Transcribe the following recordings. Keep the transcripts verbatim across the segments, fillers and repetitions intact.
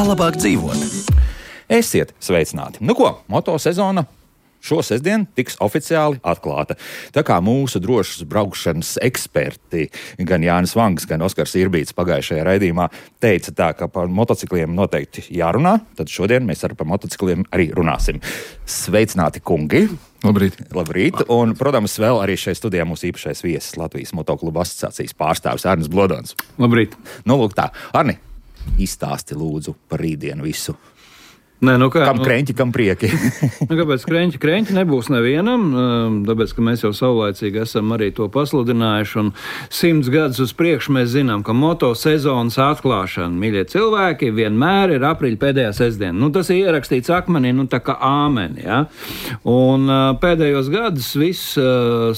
Kā labāk dzīvot? Esiet sveicināti! Nu ko, motosezona šo sestdienu tiks oficiāli atklāta. Tā kā mūsu drošas braukšanas eksperti, gan Jānis Vangs, gan Oskars Irbīts pagājušajā raidījumā teica tā, ka par motocikliem noteikti jārunā, tad šodien mēs ar par motocikliem arī runāsim. Sveicināti, kungi! Labrīt! Labrīt! Un, protams, vēl arī šeit studijā mūsu īpašais viesis Latvijas motoklubu asociācijas pārstāvis Arnis Blodons. Labrīt! Nu, lūk tā. Arni, izstāsti lūdzu par rītdienu visu. Nē, nu kā, kam kreņķi, kam prieki? nu, kāpēc kreņķi? Kreņķi nebūs nevienam, tāpēc, ka mēs jau saulaicīgi esam arī to pasludinājuši, un simts gadus uz priekšu mēs zinām, ka motosezonas atklāšana, mīļie cilvēki, vienmēr ir aprīļa pēdējā sestdiena. Nu, tas ir ierakstīts akmenī, nu tā kā āmeni, ja? Un pēdējos gadus viss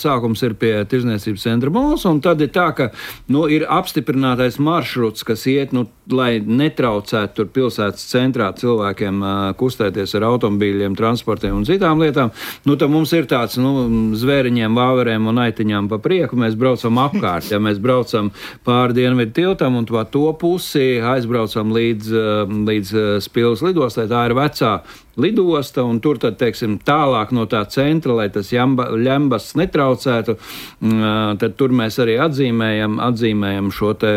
sākums ir pie Tirdzniecības centra mols, un tad ir tā, ka, nu, ir apstiprinātais maršruts, kas iet, nu, lai netraucētu tur pilsētas centrā cilvēkiem kustēties ar automobīļiem, transportiem un citām lietām. Nu, tad mums ir tāds, nu, zvēriņiem, vāverēm un aitiņām pa prieku, mēs braucam apkārt, ja mēs braucam pāri Dienvidu tiltam un to pusi aizbraucam līdz, līdz Spilves lidostai, tā ir vecā lidosta, un tur tad, teiksim, tālāk no tā centra, lai tas jamba, ļembas netraucētu, tad tur mēs arī atzīmējam, atzīmējam šo te,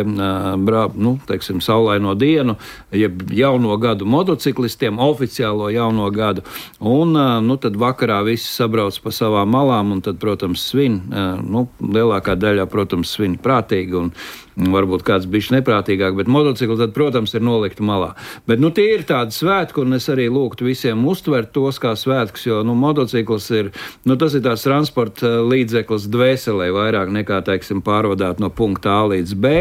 brā, nu, teiksim, saulaino dienu, jeb jauno gadu motociklistiem, oficiālo jauno gadu, un, nu, tad vakarā visi sabrauc pa savām malām, un tad, protams, svin, nu, lielākā daļā, protams, svin prātīgi, un varbūt kāds bišķi neprātīgāk, bet motocikli tad, protams, ir nolikti malā. Bet, nu, tie ir tādi svētki, un es arī lūgtu visiem uztvert tos kā svētkus, jo, nu, motocikls ir, nu, tas ir tās transporta līdzeklis dvēselē vairāk nekā, teiksim, pārvadāt no punkta A līdz B,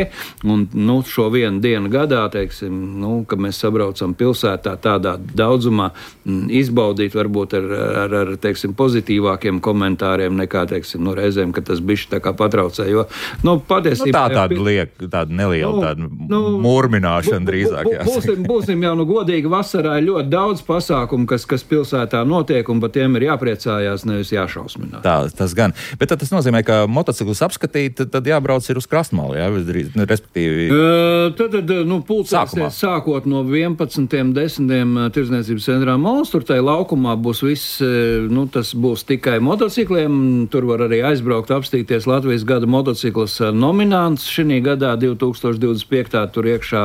un, nu, šo vienu dienu gadā, teiksim, nu, ka mēs sabraucam pilsētā tādā daudzumā, izbaudīt varbūt ar, ar, ar teiksim, pozitīvākiem komentāriem nekā, teiksim, nu, reizēm, ka tas bišķi tā kā patraucē, jo, nu, patiesībā... Nu, tā tāda liek, tāda neliela nu, tāda nu, murmināšana drīzāk. Bu, bu, būsim, būsim jau, nu, godīgi, vasarā ir ļoti daudz pasākumu, kas, kas pilsētā notiek, un par tiem ir jāpriecājās, nevis jāšausminās. Tā, tas gan. Bet tad tas nozīmē, ka motociklus apskatīt, tad jābrauc ir uz krastmalu, jā, respektīvi... Uh, tad, tad, nu, pulcēsies sākot no vienpadsmitiem desmitiem Tirdzniecības centrā mols, tur tai laukumā būs viss, nu, tas būs tikai motocikliem, tur var arī aizbraukt, apstīties Latvijas gada motociklas nominants. Šī gadā divi tūkstoši divdesmit piektajā tur iekšā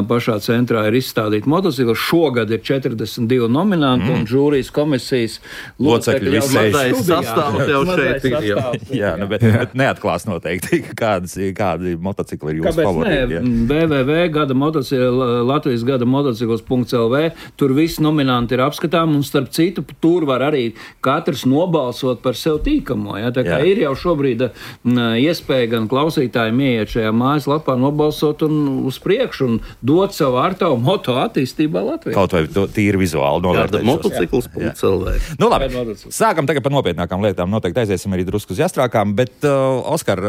pašā centrā ir izstādīti motocikli. Šogad ir četrdesmit divi nominanti mm. un žūrijas komisijas locekļi jau mazais sastāvs jau šeit ir. Jā, jā, nu, bet, bet neatklās noteikti, kādas, kādi motocikli ir jūsu favorīti. w w w punkt gada motocikli, Latvijas gada motocikls punkt l v, tur visi nominanti ir apskatām, un starp citu, tur var arī katrs nobalsot par sev tīkamo. Ja? Tā kā jā. Ir jau šobrīd iespēja gan klausītājiem ieiet šajā mājaslapā, nobalsot un uz priekšu un dot savu ārtavu moto attīstībā Latvijā. Kaut vai to tīri vizuāli novērtēt. Motocikls punkt l v. Nu labi, sākam tagad par nopietnākām lietām. Noteikti aiziesim arī drusku uz jastrākām, bet, uh, Oskar,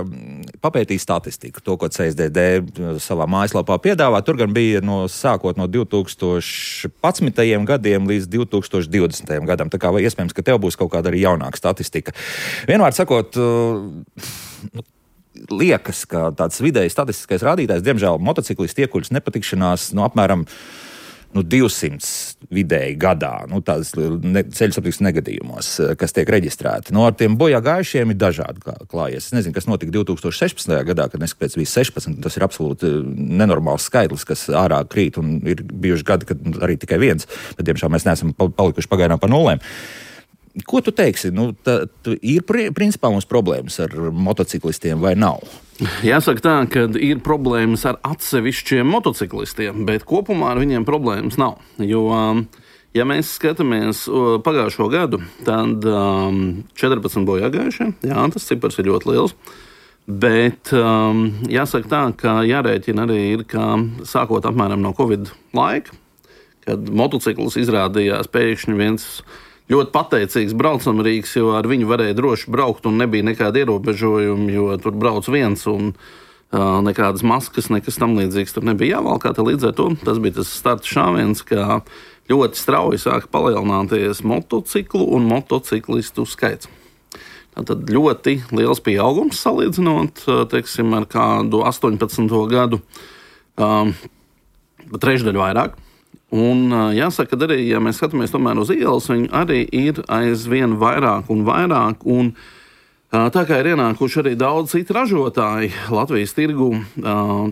papētīja statistiku, to, ko C S D D savā mājaslapā piedāvā. Tur gan bija no, sākot no divi tūkstoši padsmitajiem gadiem līdz divi tūkstoši divdesmitajam gadam. Tā kā vai iespējams, ka tev būs kaut kāda arī jaunāka statistika. Vienmēr sakot, uh, liekas, ka tāds vidēji statistiskais rādītājs, diemžēl motociklisti iekuļas nepatikšanās no apmēram nu, divsimt vidēji gadā, nu, tādas ne, ceļu satiksmes negadījumos, kas tiek reģistrēti. No ar tiem bojā gājušiem ir dažādi klājies. Es nezinu, kas notika divi tūkstoši sešpadsmitajā gadā, kad neskapēc bija sešpadsmit, tas ir absolūti nenormāls skaitlis, kas ārā krīt, un ir bijuši gadi, kad arī tikai viens, bet diemžēl mēs neesam palikuši pagaidām pa nulēm. Ko tu teiksi? Nu, tā, tu, ir principā mums problēmas ar motociklistiem vai nav? Jāsaka tā, ka ir problēmas ar atsevišķiem motociklistiem, bet kopumā ar viņiem problēmas nav. Jo, ja mēs skatāmies pagājušo gadu, tad četrpadsmit bojāgājušie, jā, tas cipars ir ļoti liels. Bet um, jāsaka tā, ka jārēķina arī ir, ka sākot apmēram no Covid laika, kad motocikls izrādījās pēkšņi viens ļoti pateicīgs braucamrīks, jo ar viņu varēja droši braukt un nebija nekāda ierobežojuma, jo tur brauc viens un uh, nekādas maskas, nekas tam līdzīgs tur nebija jāvalkā. Līdz ar to tas bija tas starta šāviens, ka ļoti strauji sāka palielināties motociklu un motociklistu skaits. Tātad ļoti liels pieaugums salīdzinot, teiksim, ar kādu astoņpadsmito gadu, um, trešdaļu vairāk. Un jāsaka, ka arī, ja mēs skatāmies tomēr uz ielas, viņi arī ir aizvien vairāk un vairāk. Un tā kā ir ienākuši arī daudz citu ražotāji Latvijas tirgu,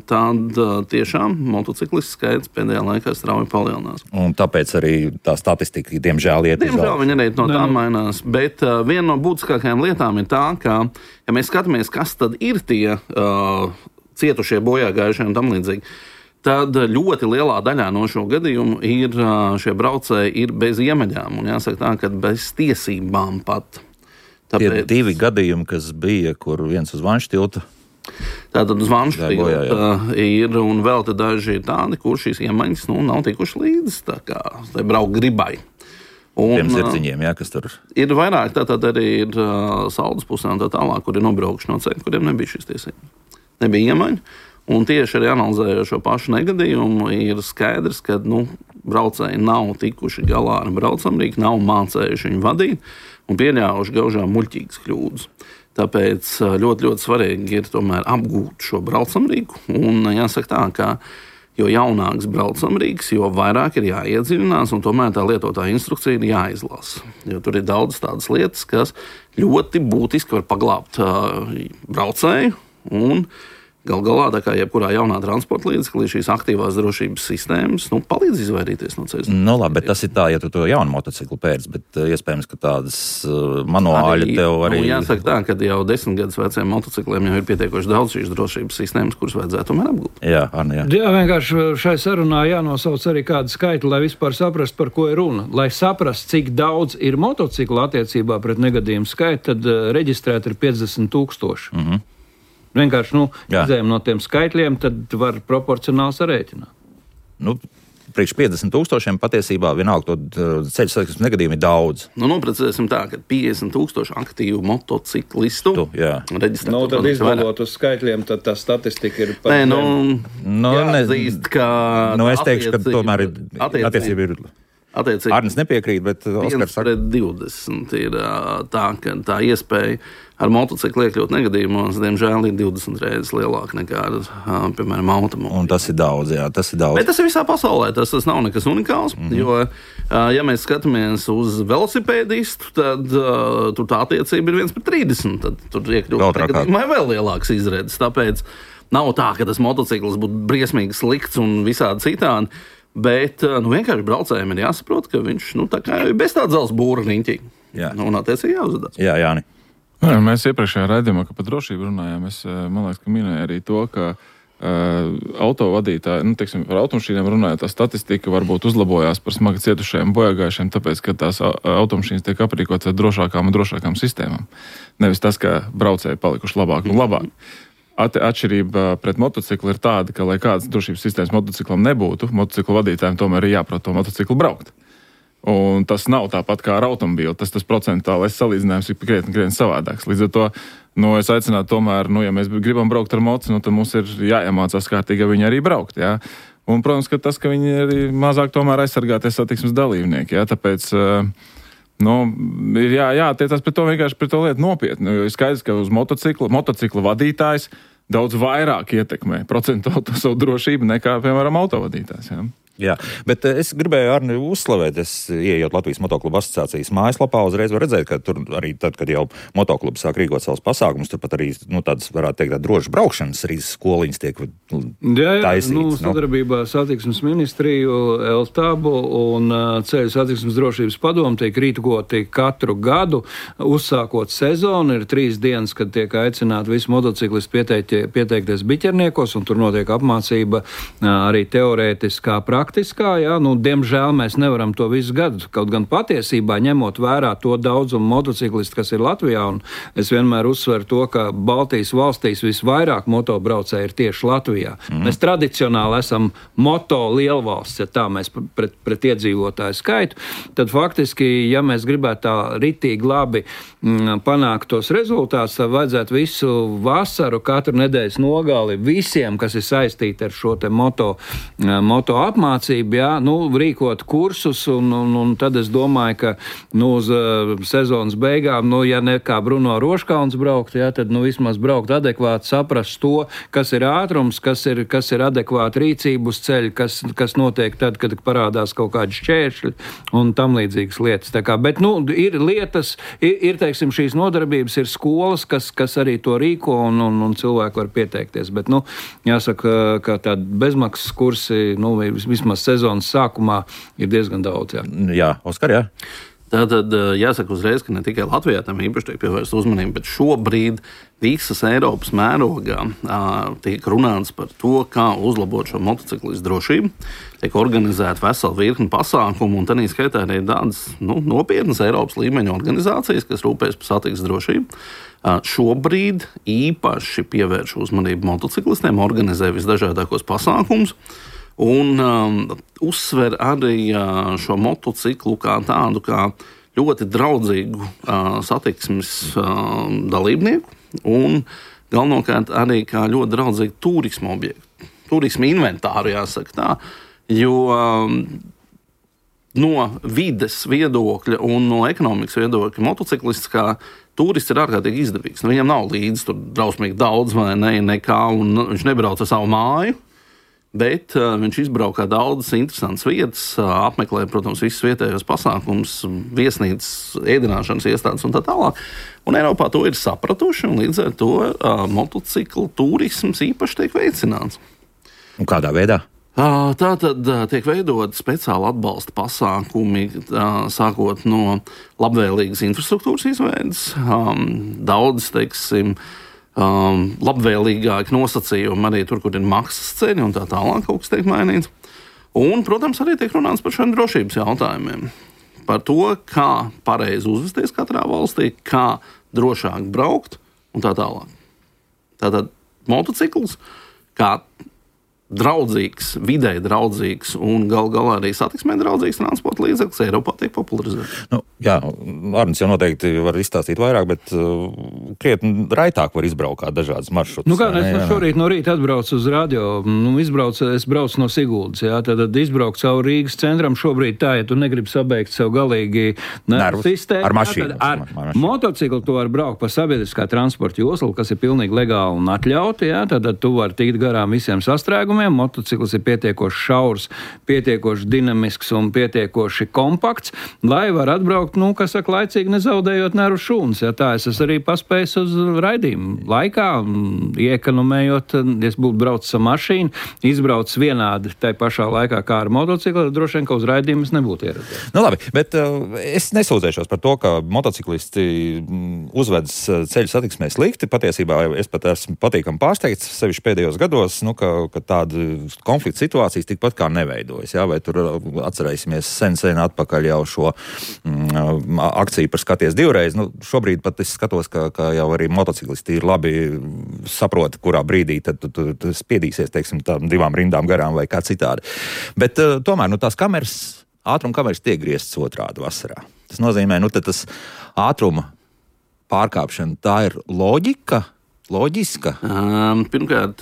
tad tiešām motociklistu skaits pēdējā laikā strauji palielinās. Un tāpēc arī tā statistika, diemžēl, iet uz augšu. Diemžēl viņi arī no tā mainās, bet viena no būtiskākajām lietām ir tā, ka, ja mēs skatāmies, kas tad ir tie uh, cietušie, bojā gājušie un tam līdzīgi, tad ļoti lielā daļā no šo gadījumu ir šie braucēji ir bez iemaņām, un jāsaka tā, ka bez tiesībām pat. Tāpēc... Tie divi gadījumi, kas bija, kur viens uz Vanšu tilta. Tātad uz Vanšu tilta ir, un vēl te daži ir tādi, kur šīs iemaņas nu, nav tikuši līdz, tā kā tai braukt gribai. Un, Tiem zirdziņiem, jā, kas tur ir vairāk, tātad arī ir uh, Saldas pusē un tā tālāk, kur ir nobraukuši no ceļa, kuriem nebija šīs tiesības. Nebija iemaņu. Un tieši arī analizējot šo pašu negadījumu, ir skaidrs, ka nu, braucēji nav tikuši galā ar braucamrīku, nav mācējuši viņu vadīt un pieļāvuši gaužām muļķīgas kļūdas. Tāpēc ļoti, ļoti svarīgi ir tomēr apgūt šo braucamrīku. Un jāsaka tā, ka jo jaunāks braucamrīks, jo vairāk ir jāiedziļinās, un tomēr tā lietotāja instrukcija ir jāizlasa. Jo tur ir daudz tādas lietas, kas ļoti būtiski var paglābt uh, braucēju un gal galā, tā kā jebkurā jaunā transporta līdzeklī, šīs aktīvās drošības sistēmas nu, palīdz izvairīties no ceļa. Nu, labi, bet tas ir tā, ja tu to jaunu motociklu pērc, bet uh, iespējams, ka tādas uh, manuāļi tev arī... Nu, jāsaka tā, ka jau desmit gadus veciem motocikliem jau ir pietiekoši daudz šīs drošības sistēmas, kuras vajadzētu tomēr apgūt. Jā, Arni, jā. Jā, vienkārši šai sarunā jānosauc arī kādu skaitli, lai vispār saprast, par ko ir runa. Lai saprast, cik daudz ir motociklu attiecībā pret negadījumu skaitu, tad uh, reģistrēt ir piecdesmit tūkstoši. Mhm. Vienkārši, nu, izējam no tiem skaitļiem, tad var proporcionāli sarēķināt. Nu, priekš piecdesmit tūkstošiem patiesībā vienalga to ceļu satiksmes negadījumu ir daudz. Nu, noprecēsim tā, ka piecdesmit tūkstoši aktīvu motociklistu reģistrētu. Nu, tad izbalot uz skaitļiem, tad tā statistika ir pat... Nē, nu, nu jāatzīst, ka... Nu, es teikšu, ka tomēr ir attiecība ir... Attiecīgi, Arnis nepiekrīt, bet Oskars saka... divdesmit ir tā, ka tā iespēja ar motociklu iekļūt negadījumos, diemžēl, ir divdesmit reizes lielāka nekā ar, piemēram, automobili. Un tas ir daudz, jā, tas ir daudz. Bet tas ir visā pasaulē, tas, tas nav nekas unikāls, mm-hmm. jo, ja mēs skatāmies uz velosipēdistu, tad uh, tur tā attiecība ir viens pret trīsdesmit, tad tur iekļūt negadījumā vēl lielāks izredzes, tāpēc nav tā, ka tas motocikls būtu briesmīgi slikts un visādi citādi. Bet nu, vienkārši braucējiem ir jāsaprot, ka viņš nu, tā kā ir bez tāda zelta būra riņķī. Nu, un attiecīgi jāuzvedās. Jā, Jāni. Jā, mēs iepriekšējā raidījumā, ka par drošību runājām, es, man liekas, ka minēju arī to, ka uh, autovadītāji, nu, teiksim, par automašīnām runājot, tā statistika varbūt uzlabojās par smagi cietušajiem bojāgājušiem, tāpēc, ka tās automašīnas tiek aprīkotas ar drošākām un drošākām sistēmām. Nevis tas, ka braucēji palikuši labāk un labāk. Atšķirība pret motociklu ir tāda, ka, lai kādas drošības sistēmas motociklam nebūtu, motociklu vadītājiem tomēr ir jāprot to motociklu braukt. Un tas nav tāpat kā ar automobīlu, tas tas procentālais salīdzinājums ir krietni, krietni savādāks. Līdz ar to, nu, es aicinātu tomēr, nu, ja mēs gribam braukt ar moci, nu, tad mums ir jāiemācās kārtīgi viņi arī braukt, jā. Un, protams, ka tas, ka viņi arī mazāk tomēr aizsargāties satiksmes dalībnieki, jā, tāpēc... Uh, Nu, ir jā, jātiecās pret to vienkārši pret to lietu nopietni. Jo ir skaidrs, ka uz motocikla, motocikla vadītājs daudz vairāk ietekmē procentuāli to savu drošību nekā, piemēram, autovadītājs. Jā. Jā, bet es gribēju Arni uzslavēt, es ieejot Latvijas motoklubu asociācijas mājaslapā, uzreiz var redzēt, ka tur arī tad, kad jau motoklubs sāk rīkot savus pasākumus, tur pat arī, nu, tādas, varētu teikt, drošas braukšanas arī skoliņas tiek nu, jā, jā, taisīts. Nu, sadarbībā ar satiksmes ministriju, Eltabu un ceļu satiksmes drošības padomu tiek rīkoti katru gadu, uzsākot sezonu, ir trīs dienas, kad tiek aicināti visi motociklisti pieteikt, pieteikties biķerniekos, un tur notiek apmācība arī teorētiskā praktiskā. Praktiskā, jā, nu, diemžēl mēs nevaram to visu gadu, kaut gan patiesībā ņemot vērā to daudzumu motociklistu, kas ir Latvijā, un es vienmēr uzsveru to, ka Baltijas valstīs visvairāk motobraucēji ir tieši Latvijā. Mm. Mēs tradicionāli esam moto lielvalsts, ja tā mēs pret, pret iedzīvotāju skaitu, tad faktiski, ja mēs gribētu tā ritīgi labi m, panākt tos rezultātus, tad vajadzētu visu vasaru, katru nedēļas nogali visiem, kas ir saistīti ar šo te moto, moto apmācību, apmācība, jā, nu, rīkot kursus, un, un, un tad es domāju, ka nu, uz uh, sezonas beigām, nu, ja ne kā Bruno Roškauns braukt, jā, tad nu, vismaz braukt adekvāti, saprast to, kas ir ātrums, kas ir, kas ir adekvāta rīcība uz ceļa, kas, kas notiek tad, kad parādās kaut kādi šķēršļi un tam līdzīgas lietas. Tā kā, bet, nu, ir lietas, ir, ir, teiksim, šīs nodarbības, ir skolas, kas, kas arī to rīko un, un, un cilvēki var pieteikties. Bet, nu, jāsaka, ka tādi bezmaksas kursi, nu, vismaz sezonas sākumā ir diezgan daudz, jā. Jā, Oskar, jā. Tātad jāsaka uzreiz, ka ne tikai Latvijā tam īpaši tiek pievērsta uzmanība, bet šobrīd visas Eiropas mērogā tiek runāts par to, kā uzlabot šo motociklistu drošību. Tiek organizēta vesela virkne pasākumu, un tādā skaitā arī tādas nu, nopietnas Eiropas līmeņa organizācijas, kas rūpējas par satiksmes drošību. Šobrīd īpaši pievērš uzmanību motociklistiem, organizē visdažādākos pasākumus. Un um, uzsver arī uh, šo motociklu kā tādu kā ļoti draudzīgu uh, satiksmes uh, dalībnieku un galvenokārt arī kā ļoti draudzīgu turismu objektu, turismu inventāru, jāsaka tā, jo um, no vides viedokļa un no ekonomikas viedokļa motociklists kā turists ir ārkārtīgi izdevīgs. Nu, viņam nav līdzi tur drausmīgi daudz vai ne, nekā, un viņš nebrauc ar savu māju. Bet uh, viņš izbraukā daudzas interesantas vietas, uh, apmeklē, protams, visus vietējos pasākumus, viesnīcas, ēdināšanas iestādes un tā tālāk. Un Eiropā to ir sapratuši, un līdz ar to uh, motociklu turisms īpaši tiek veicināts. Un kādā veidā? Uh, tā tad uh, tiek veidot speciāli atbalsta pasākumi, uh, sākot no labvēlīgas infrastruktūras izveides. Um, daudz, teiksim, Um, labvēlīgāki nosacījumi arī tur, kur ir maksas ceļi un tā tālāk kaut kas tiek mainīts. Un, protams, arī tiek runāts par šiem drošības jautājumiem. Par to, kā pareizi uzvesties katrā valstī, kā drošāk braukt un tā tālāk. Tātad motocikls kā draudzīgs, videi draudzīgs un gal galā arī satiksmē draudzīgs transporta līdzeklis Eiropā tiek popularizēts. Nu, jā, Arnis jau noteikti var izstāstīt vairāk, bet uh, krietni raitāk var izbraukāt dažādas maršrutus. Nu kā, es no šorīt no rīta atbraucu uz radio, nu, izbraucu, es braucu no Siguldas, jā, tad izbraucu caur Rīgas centram, šobrīd tā, ja tu negribi sabeigt sev galīgi nervu sistēmu. Ar mašīnu. Jā, ar mašīnu. Motociklu tu var braukt pa sabiedriskā transporta joslu, kas ir pilnīgi legāli un atļauti, jā, tad tu var tikt garām visiem sastrēgumiem. Motocikls ir pietiekoši šaurs, pietiekoši dinamisks un pietiekoši kompakts, lai var atbraukt, nu, kas saka, laicīgi nezaudējot nervu šūnas. Ja tā es esmu arī paspējis uz raidījumu laikā, iekonomējot, ja es būtu braucis ar mašīnu, izbraucis vienādi tai pašā laikā kā ar motociklu, droši vien, ka uz raidījumu es nebūtu ieradies. Nu labi, bet uh, es nesūdzēšos par to, ka motociklisti uzvedas ceļu satiksmē slikti. Patiesībā es pat esmu patīkami pārsteigts, sevišķi pēdējos gados, nu, ka, ka tāda konflikta situācijas tikpat kā neveidojas. Jā? Vai tur atcerēsimies sen, sen atpakaļ jau šo mm, akciju par skaties divreiz. Nu, šobrīd pat es skatos, ka, ka jau arī motociklisti ir labi saprot, kurā brīdī tad tu, tu, tu spiedīsies, teiksim, tām divām rindām garām vai kā citādi. Bet uh, tomēr, nu, tās kameras, ātruma kameras tiek grieztas otrādi vasarā. Tas nozīmē, nu, tad tas ātruma pārkāpšana, tā ir loģika, loģiska? Um, pirmkārt,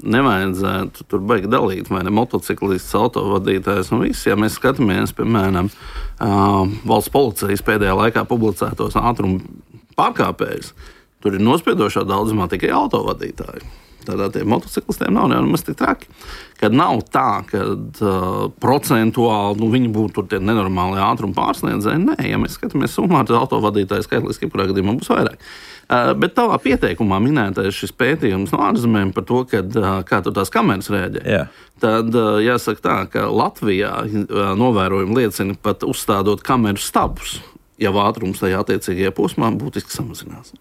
nevajadzētu tur baigi dalīt, vai ne motociklists, autovadītājs un viss. Ja mēs skatāmies, piemēram, um, valsts policijas pēdējā laikā publicētos ātrumu pārkāpējus, tur ir nospiedošā daudzumā tikai autovadītāji. Tādā tiem motociklistiem nav nemaz tik traki. Kad nav tā, ka uh, procentuāli nu, viņi būtu tie nenormāli ātruma pārsniedzēji. Nē, ja mēs skatāmies summā, tad autovadītāji skaitliski jebkurā gadījumā būs vairāk. Uh, bet tavā pieteikumā minētais šis pētījums no ārzemēm par to, kad, uh, kā tur tās kameras rēģē. Yeah. Tad uh, jāsaka tā, ka Latvijā uh, novērojumi liecina pat uzstādot kameru stabus, ja ātrums tajā attiecīgajā posmā būtiski samazinās.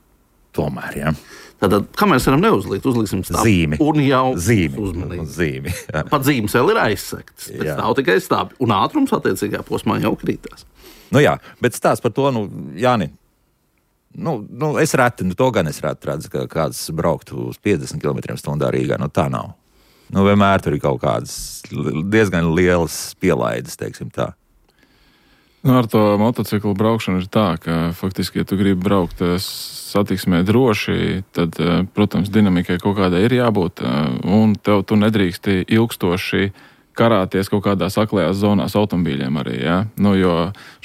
Tomēr, jā. Tātad kameras varam neuzlikt, uzliksim stābu. Zīmi. Un jau zīmi. uzmanīgi. Zīmi. Jā. Pat zīmes vēl ir aizsektas, bet stāv tikai stābi. Un ātrums attiecīgajā posmā jau krītās. Nu jā, bet stāsts par to, nu, Jāni, nu, nu es reti, nu to gan es reti redzu, ka kāds brauktu uz piecdesmit kilometriem stundā Rīgā, nu tā nav. Nu vienmēr tur ir kaut kādas diezgan lielas pielaides, teiksim tā. Nu, ar to motociklu braukšanu ir tā, ka faktiski, ja tu gribi braukt satiksmē droši, tad, protams, dinamikai kaut kādai ir jābūt, un tev tu nedrīksti ilgstoši karāties kaut kādās aklajās zonās automobīļiem arī, ja? Nu, jo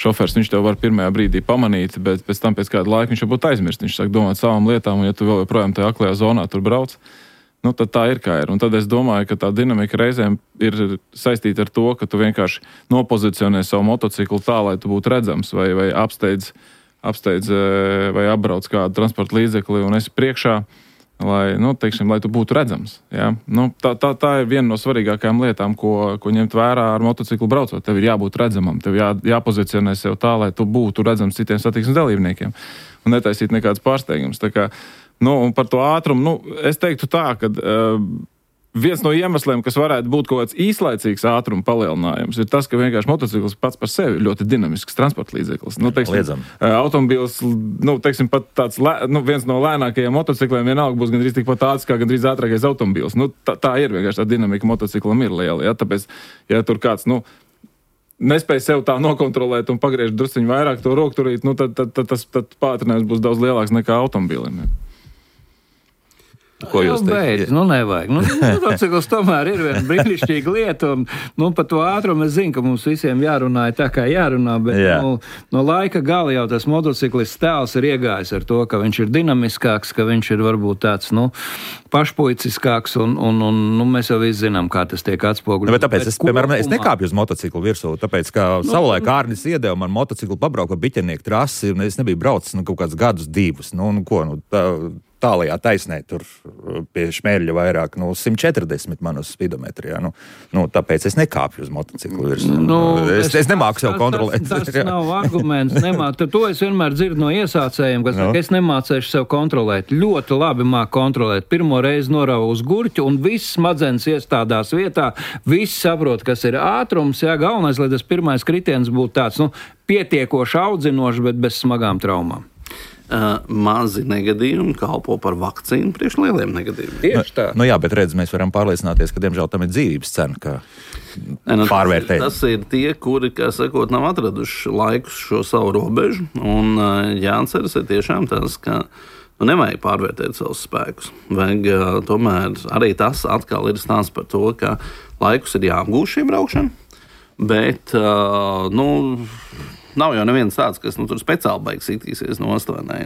šofers, viņš tev var pirmajā brīdī pamanīt, bet pēc tam pēc kāda laika viņš jau būtu aizmirst, viņš sāk domāt savām lietām, un ja tu vēl joprojām tajā aklajā zonā tur brauc, nu, tad tā ir kā ir. Un tad es domāju, ka tā dinamika reizēm ir saistīta ar to, ka tu vienkārši nopozicionē savu motociklu tā, lai tu būtu redzams, vai, vai apsteidz, apsteidz vai apbrauc kādu transporta līdzekli un esi priekšā, lai, nu, teiksim, lai tu būtu redzams. Ja? Nu, tā, tā, tā ir viena no svarīgākajām lietām, ko, ko ņemt vērā ar motociklu braucot. Tev ir jābūt redzamam, tev jā, jāpozicionē sev tā, lai tu būtu redzams citiem satiksmes dalībniekiem un netaisīt nekāds pārsteigums. Tā kā, nu, un par to ātrumu, nu, es teiktu tā, ka uh, viens no iemesliem, kas varētu būt kaut kāds īslaicīgs ātruma palielinājums, ir tas, ka vienkārši motocikls pats par sevi ir ļoti dinamisks transporta līdzeklis. Nu, teiksim, automobils, nu, teiksim, pat tāds, nu, viens no lēnākajiem motocikliem vienalga būs gandrīz tikpat ātrs, kā gandrīz ātrākais automobils. Nu, tā, tā ir vienkārši tā dinamika motociklam ir liela, ja? Tāpēc, ja tur kāds, nu, nespēj sev tā nokontrolēt un pagriež drusciņu vairāk to rokturīt, nu, tad, tad, tad tas tad pātrinājums būs daudz lielāks nekā automobilim. Ja? Ko jūs teicat? Nu, nevajag. Nu, motocikls tomēr ir viena brīnišķīga lieta, un, nu, par to ātrumu es zinu, ka mums visiem jārunā tā, kā jārunā, bet, Jā. nu, no laika gala jau tas motociklists tēls ir iegājis ar to, ka viņš ir dinamiskāks, ka viņš ir varbūt tāds, nu, pašpuiciskāks, un, un, un nu, mēs jau visi zinām, kā tas tiek atspoguļots. Nu, bet tāpēc, es, piemēram, es nekāpju uz motociklu virsū, tāpēc, ka nu, savulaik Ārnis iedeva man motociklu pabrauka biķernieku trasi, un es nebiju braucis, nu, kaut kādus gadus divus, nu, nu, ko, nu, tā, tālajā taisnē, tur pie Šmērļa vairāk, nu, simt četrdesmit man uz spidometrijā. Nu, nu, tāpēc es nekāpju uz motociklu virs. Nu, es, es, es nemāku sev kontrolēt. Tas, tas nav arguments. Nemāku. To es vienmēr dzirdu no iesācējiem, kas no. saka, es nemācēšu sev kontrolēt. Ļoti labi māk kontrolēt. Pirmo reizi norauju uz gurķu, un viss smadzenes iestādās vietā. Viss saprot, kas ir ātrums. Jā, galvenais, lai tas pirmais kritiens būtu tāds, nu, pietiekoši audzinošs, bet bez smagām traumām. Uh, mazi negadījumi kalpo par vakcīnu priekš lieliem negadījumiem. Tieši tā. Nu, nu jā, bet redz, mēs varam pārliecināties, ka, diemžēl, tam ir dzīvības cena, ka nu, pārvērtēt. Tas, tas ir tie, kuri, kā sakot, nav atraduši laikus šo savu robežu, un uh, jāatceras ir tiešām tas, ka nu, nevajag pārvērtēt savus spēkus. Vajag uh, tomēr arī tas atkal ir stāsts par to, ka laikus ir jāapgūst šī braukšana, bet, uh, nu, nav jau neviens tāds, kas nu, tur speciāli baigs sitīsies no ostvainē.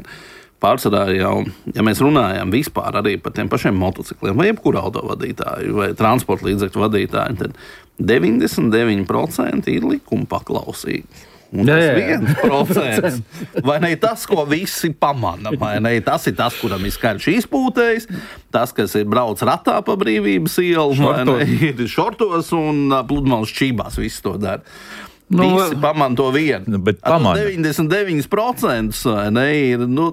Pārsvarā jau, ja mēs runājam vispār arī par tiem pašiem motocikliem, vai jebkuru autovadītāju, vai transporta līdzekļu vadītāju, tad deviņdesmit deviņi procenti ir likuma paklausīgi. Un tas viens procents, vai ne tas, ko visi pamana, vai ne tas ir tas, kuram ir skaļš izpūtējs, tas, kas ir brauc ratā pa Brīvības ielu, vai ne, ir šortos un pludmales čībās, viss to dara. Nu, visi pamana to vienu. Nu, bet pamana. deviņdesmit deviņi procenti ne, ir, nu,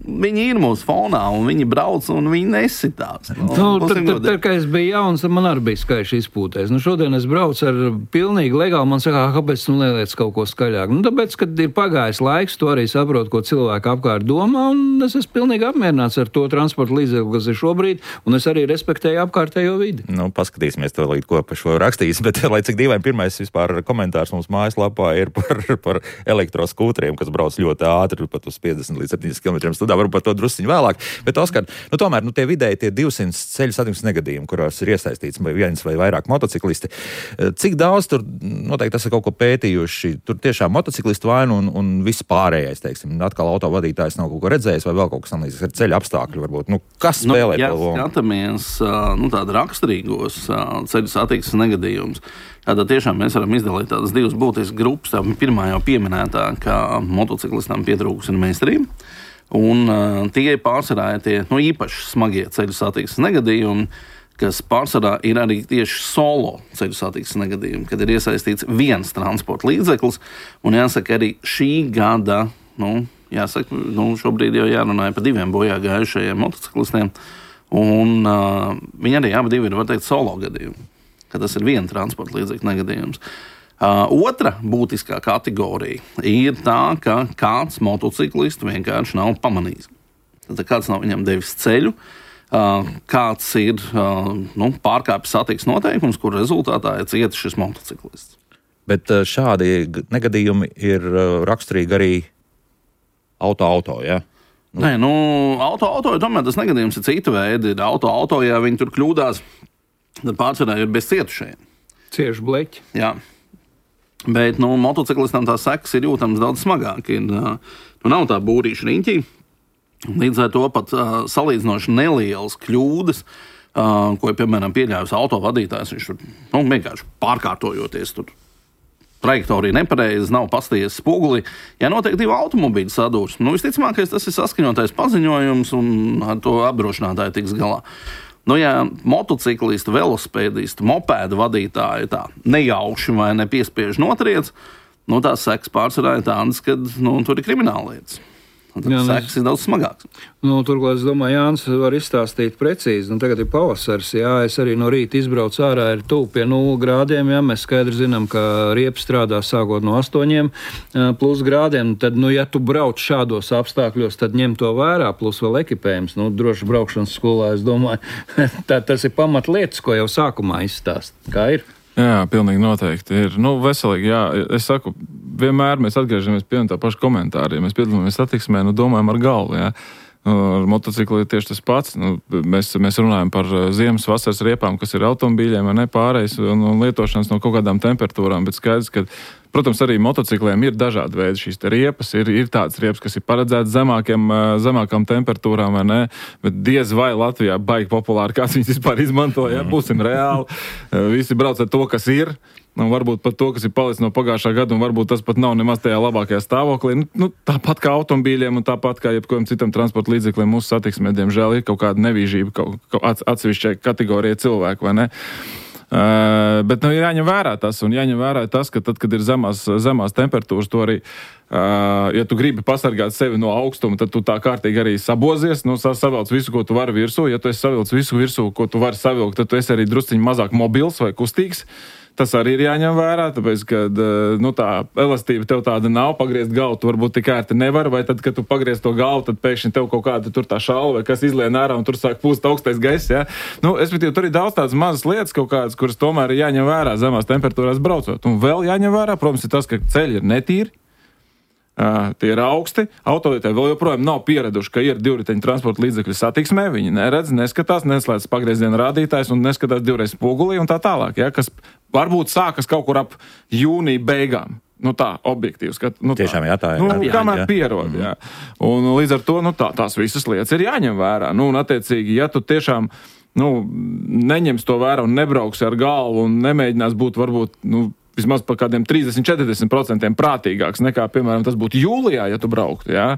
viņi ir mūsu fonā, un viņi brauc, un viņi nesitās. Nu, nu, tad, tad, tad, kad es biju jauns, man arī bija skaļš izpūtējs. Nu, šodien es braucu ar pilnīgi legāli, man saka, kāpēc tu neliec kaut ko skaļāk? Nu, tāpēc, kad ir pagājis laiks, tu arī saproti, ko cilvēki apkārt domā, un es esmu pilnīgi apmierināts ar to transporta līdzekli, kas ir šobrīd, un es arī respektēju apkārtējo vidi. Nu, paskatīsimies to līdz ko par šo rakstījis, bet, lai cik dīvaini, pirmais vispār komentārs mums mājaslapā ir par, par elektroskūteriem, kas brauc ļoti ātri, pat uz piecdesmit līdz septiņdesmit kilometriem stundā, varbūt par to drusciņu vēlāk. Bet, Oskar, nu tomēr, nu tie vidēji tie divsimt ceļu satiksmes negadījumi, kurās ir iesaistīts vai viens vai vairāk motociklisti, cik daudz tur, noteikti tas ir kaut ko pētījuši, tur tiešām motociklistu vainu un, un viss pārējais, teiksim, atkal autovadītājs nav kaut ko redzējis vai vēl kaut kas samlīdzīgs ar ceļu apstākļu varbūt. Nu, kas spēlē nu, ja to lomu? Ja skatāmies, nu, tādu raksturīgos ceļu satiksmes negadījumus, tad tiešām mēs varam izdalīt tādas divas būtiskas grupas. Tā pirmā jau pieminētā, ka motociklistam pietrūkusi ir meistarība. Un uh, tie pārsvarā ir tie nu, īpaši smagie ceļu satiksmes negadījumi, kas pārsvarā ir arī tieši solo ceļu satiksmes negadījumi, kad ir iesaistīts viens transporta līdzeklis. Un jāsaka, arī šī gada, nu, jāsaka, nu, šobrīd jau jārunāja par diviem bojā gājušajiem motociklistiem. Un uh, viņi arī abi divi ir, var teikt, solo gadījumi, ka tas ir viena transporta līdzekļa negadījums. Uh, otra būtiskā kategorija ir tā, ka kāds motociklists vienkārši nav pamanījis. Tad kāds nav viņam devis ceļu, uh, kāds ir uh, nu, pārkāpis satiksmes noteikumus, kur rezultātā ir cietis šis motociklists. Bet uh, šādi negadījumi ir uh, raksturīgi arī auto-auto, ja? Nu. Nē, nu, auto-auto, tomēr tas negadījums ir cita veida. Auto-auto, ja viņi tur kļūdās, tad pārsvarā ir bez cietušajiem. Cieši bleķi. Jā. Bet nu, motociklistam tās sekas ir jūtams daudz smagāk. Ir, nu, nav tā būrīša riņķī. Līdz ar to pat uh, salīdzinoši nelielas kļūdas, uh, ko, piemēram, pieļāvis autovadītājs, viņš tur nu, vienkārši pārkārtojoties tur. Trajektorija nepareiza, nav pasties spoguli. Ja notiek divu automobīļu sadūrsme, nu, visticamākais tas ir saskaņotais paziņojums un ar to apdrošinātāju tiks galā. Nu, ja motociklisti, velosipēdisti, mopēdu vadītāji tā nejauši vai nepiespiež notriec, nu, tās sekas pārsvarā ir tādas, ka nu, tur ir krimināllietas. Jā, sekas ir daudz smagāks. Nu, turklāt, es domāju, Jānis var izstāstīt precīzi. Nu, tagad ir pavasars, jā, es arī no rīta izbraucu ārā, ir tuvu pie nulles grādiem, jā, mēs skaidri zinām, ka riepa strādā sākot no astoņiem plus grādiem. Tad, nu, ja tu brauc šādos apstākļos, tad ņem to vērā, plus vēl ekipējums. Nu, droši braukšanas skolā, es domāju, tā, tas ir pamatlietas, ko jau sākumā izstāst. Kā ir? Jā, pilnīgi noteikti ir. Nu, veselīgi, jā. Es saku, vienmēr mēs atgriežamies pie tā paša komentāra. Ja mēs piedalāmies satiksmē, nu, domājam ar galvu, jā. Ar motociklu ir tieši tas pats. Nu, mēs, mēs runājam par ziemas, vasaras riepām, kas ir automobīļiem, ne pārējais un, un lietošanas no kaut kādām temperatūrām, bet skaidrs, ka, protams, arī motocikliem ir dažādi veidi šīs te riepas. Ir, ir tādas riepas, kas ir paredzētas zemākiem, zemākām temperatūrām, vai ne? Bet diez vai Latvijā baigi populāri, kāds viņas vispār izmanto, ja? Būsim reāli. Visi brauc ar to, kas ir. Un varbūt pat to, kas ir palicis no pagājušā gada, un varbūt tas pat nav nemaz tajā labākajā stāvoklī. Nu, nu, tāpat kā automobīļiem un tāpat kā jebkuram citam transporta līdzeklim mūsu satiksmē, diemžēl, ir kaut kāda nevīžība kaut, kaut atsevišķai kategorijai cilvēku, vai ne? Uh, bet nu, ir jāņem vērā tas, un jāņem vērā tas, ka tad, kad ir zemās, zemās temperatūras, to arī, uh, ja tu gribi pasargāt sevi no augstuma, tad tu tā kārtīgi arī sabozies, nu, savilc visu, ko tu vari virsū. Ja tu esi savilc visu virsū, ko tu vari savilkt, tad tu esi arī drusciņi mazāk mobils vai kustīgs. Tas arī ir jāņem vērā, tāpēc, ka nu, tā elastība tev tāda nav, pagriezt galvu tu varbūt tik ērti nevar, vai tad, kad tu pagriez to galvu, tad pēkšņi tev kaut kāda tur tā šalva, vai kas izlien ārā un tur sāk pūst augstais gaiss, ja? Nu, es bet, tur ir daudz tādas mazas lietas kaut kādas, kuras tomēr ir jāņem vērā zemās temperatūrās braucot. Un vēl jāņem vērā, protams, ir tas, ka ceļi ir netīri. Uh, tie ir augsti, autolietēji vēl joprojām nav pieraduši, ka ir divriteņu transporta līdzekļu satiksmē, viņi neredz, neskatās, neslēdz pagrieziena rādītājs un neskatās divreiz spogulī un tā tālāk, ja, kas varbūt sākas kaut kur ap jūnija beigām. Nu tā, objektīvs. Ka, nu, Tiešām jā, tā ir. Nu, jā, kamēr jā. pierod, jā. Un līdz ar to, nu tā, tās visas lietas ir jāņem vērā. Nu, un attiecīgi, ja tu tiešām, nu, neņems to vērā un nebrauksi ar galvu un nemēģinās būt varbūt, nu, vismaz par kādiem trīsdesmit līdz četrdesmit procentiem prātīgāks nekā, piemēram, tas būtu jūlijā, ja tu brauktu, jā,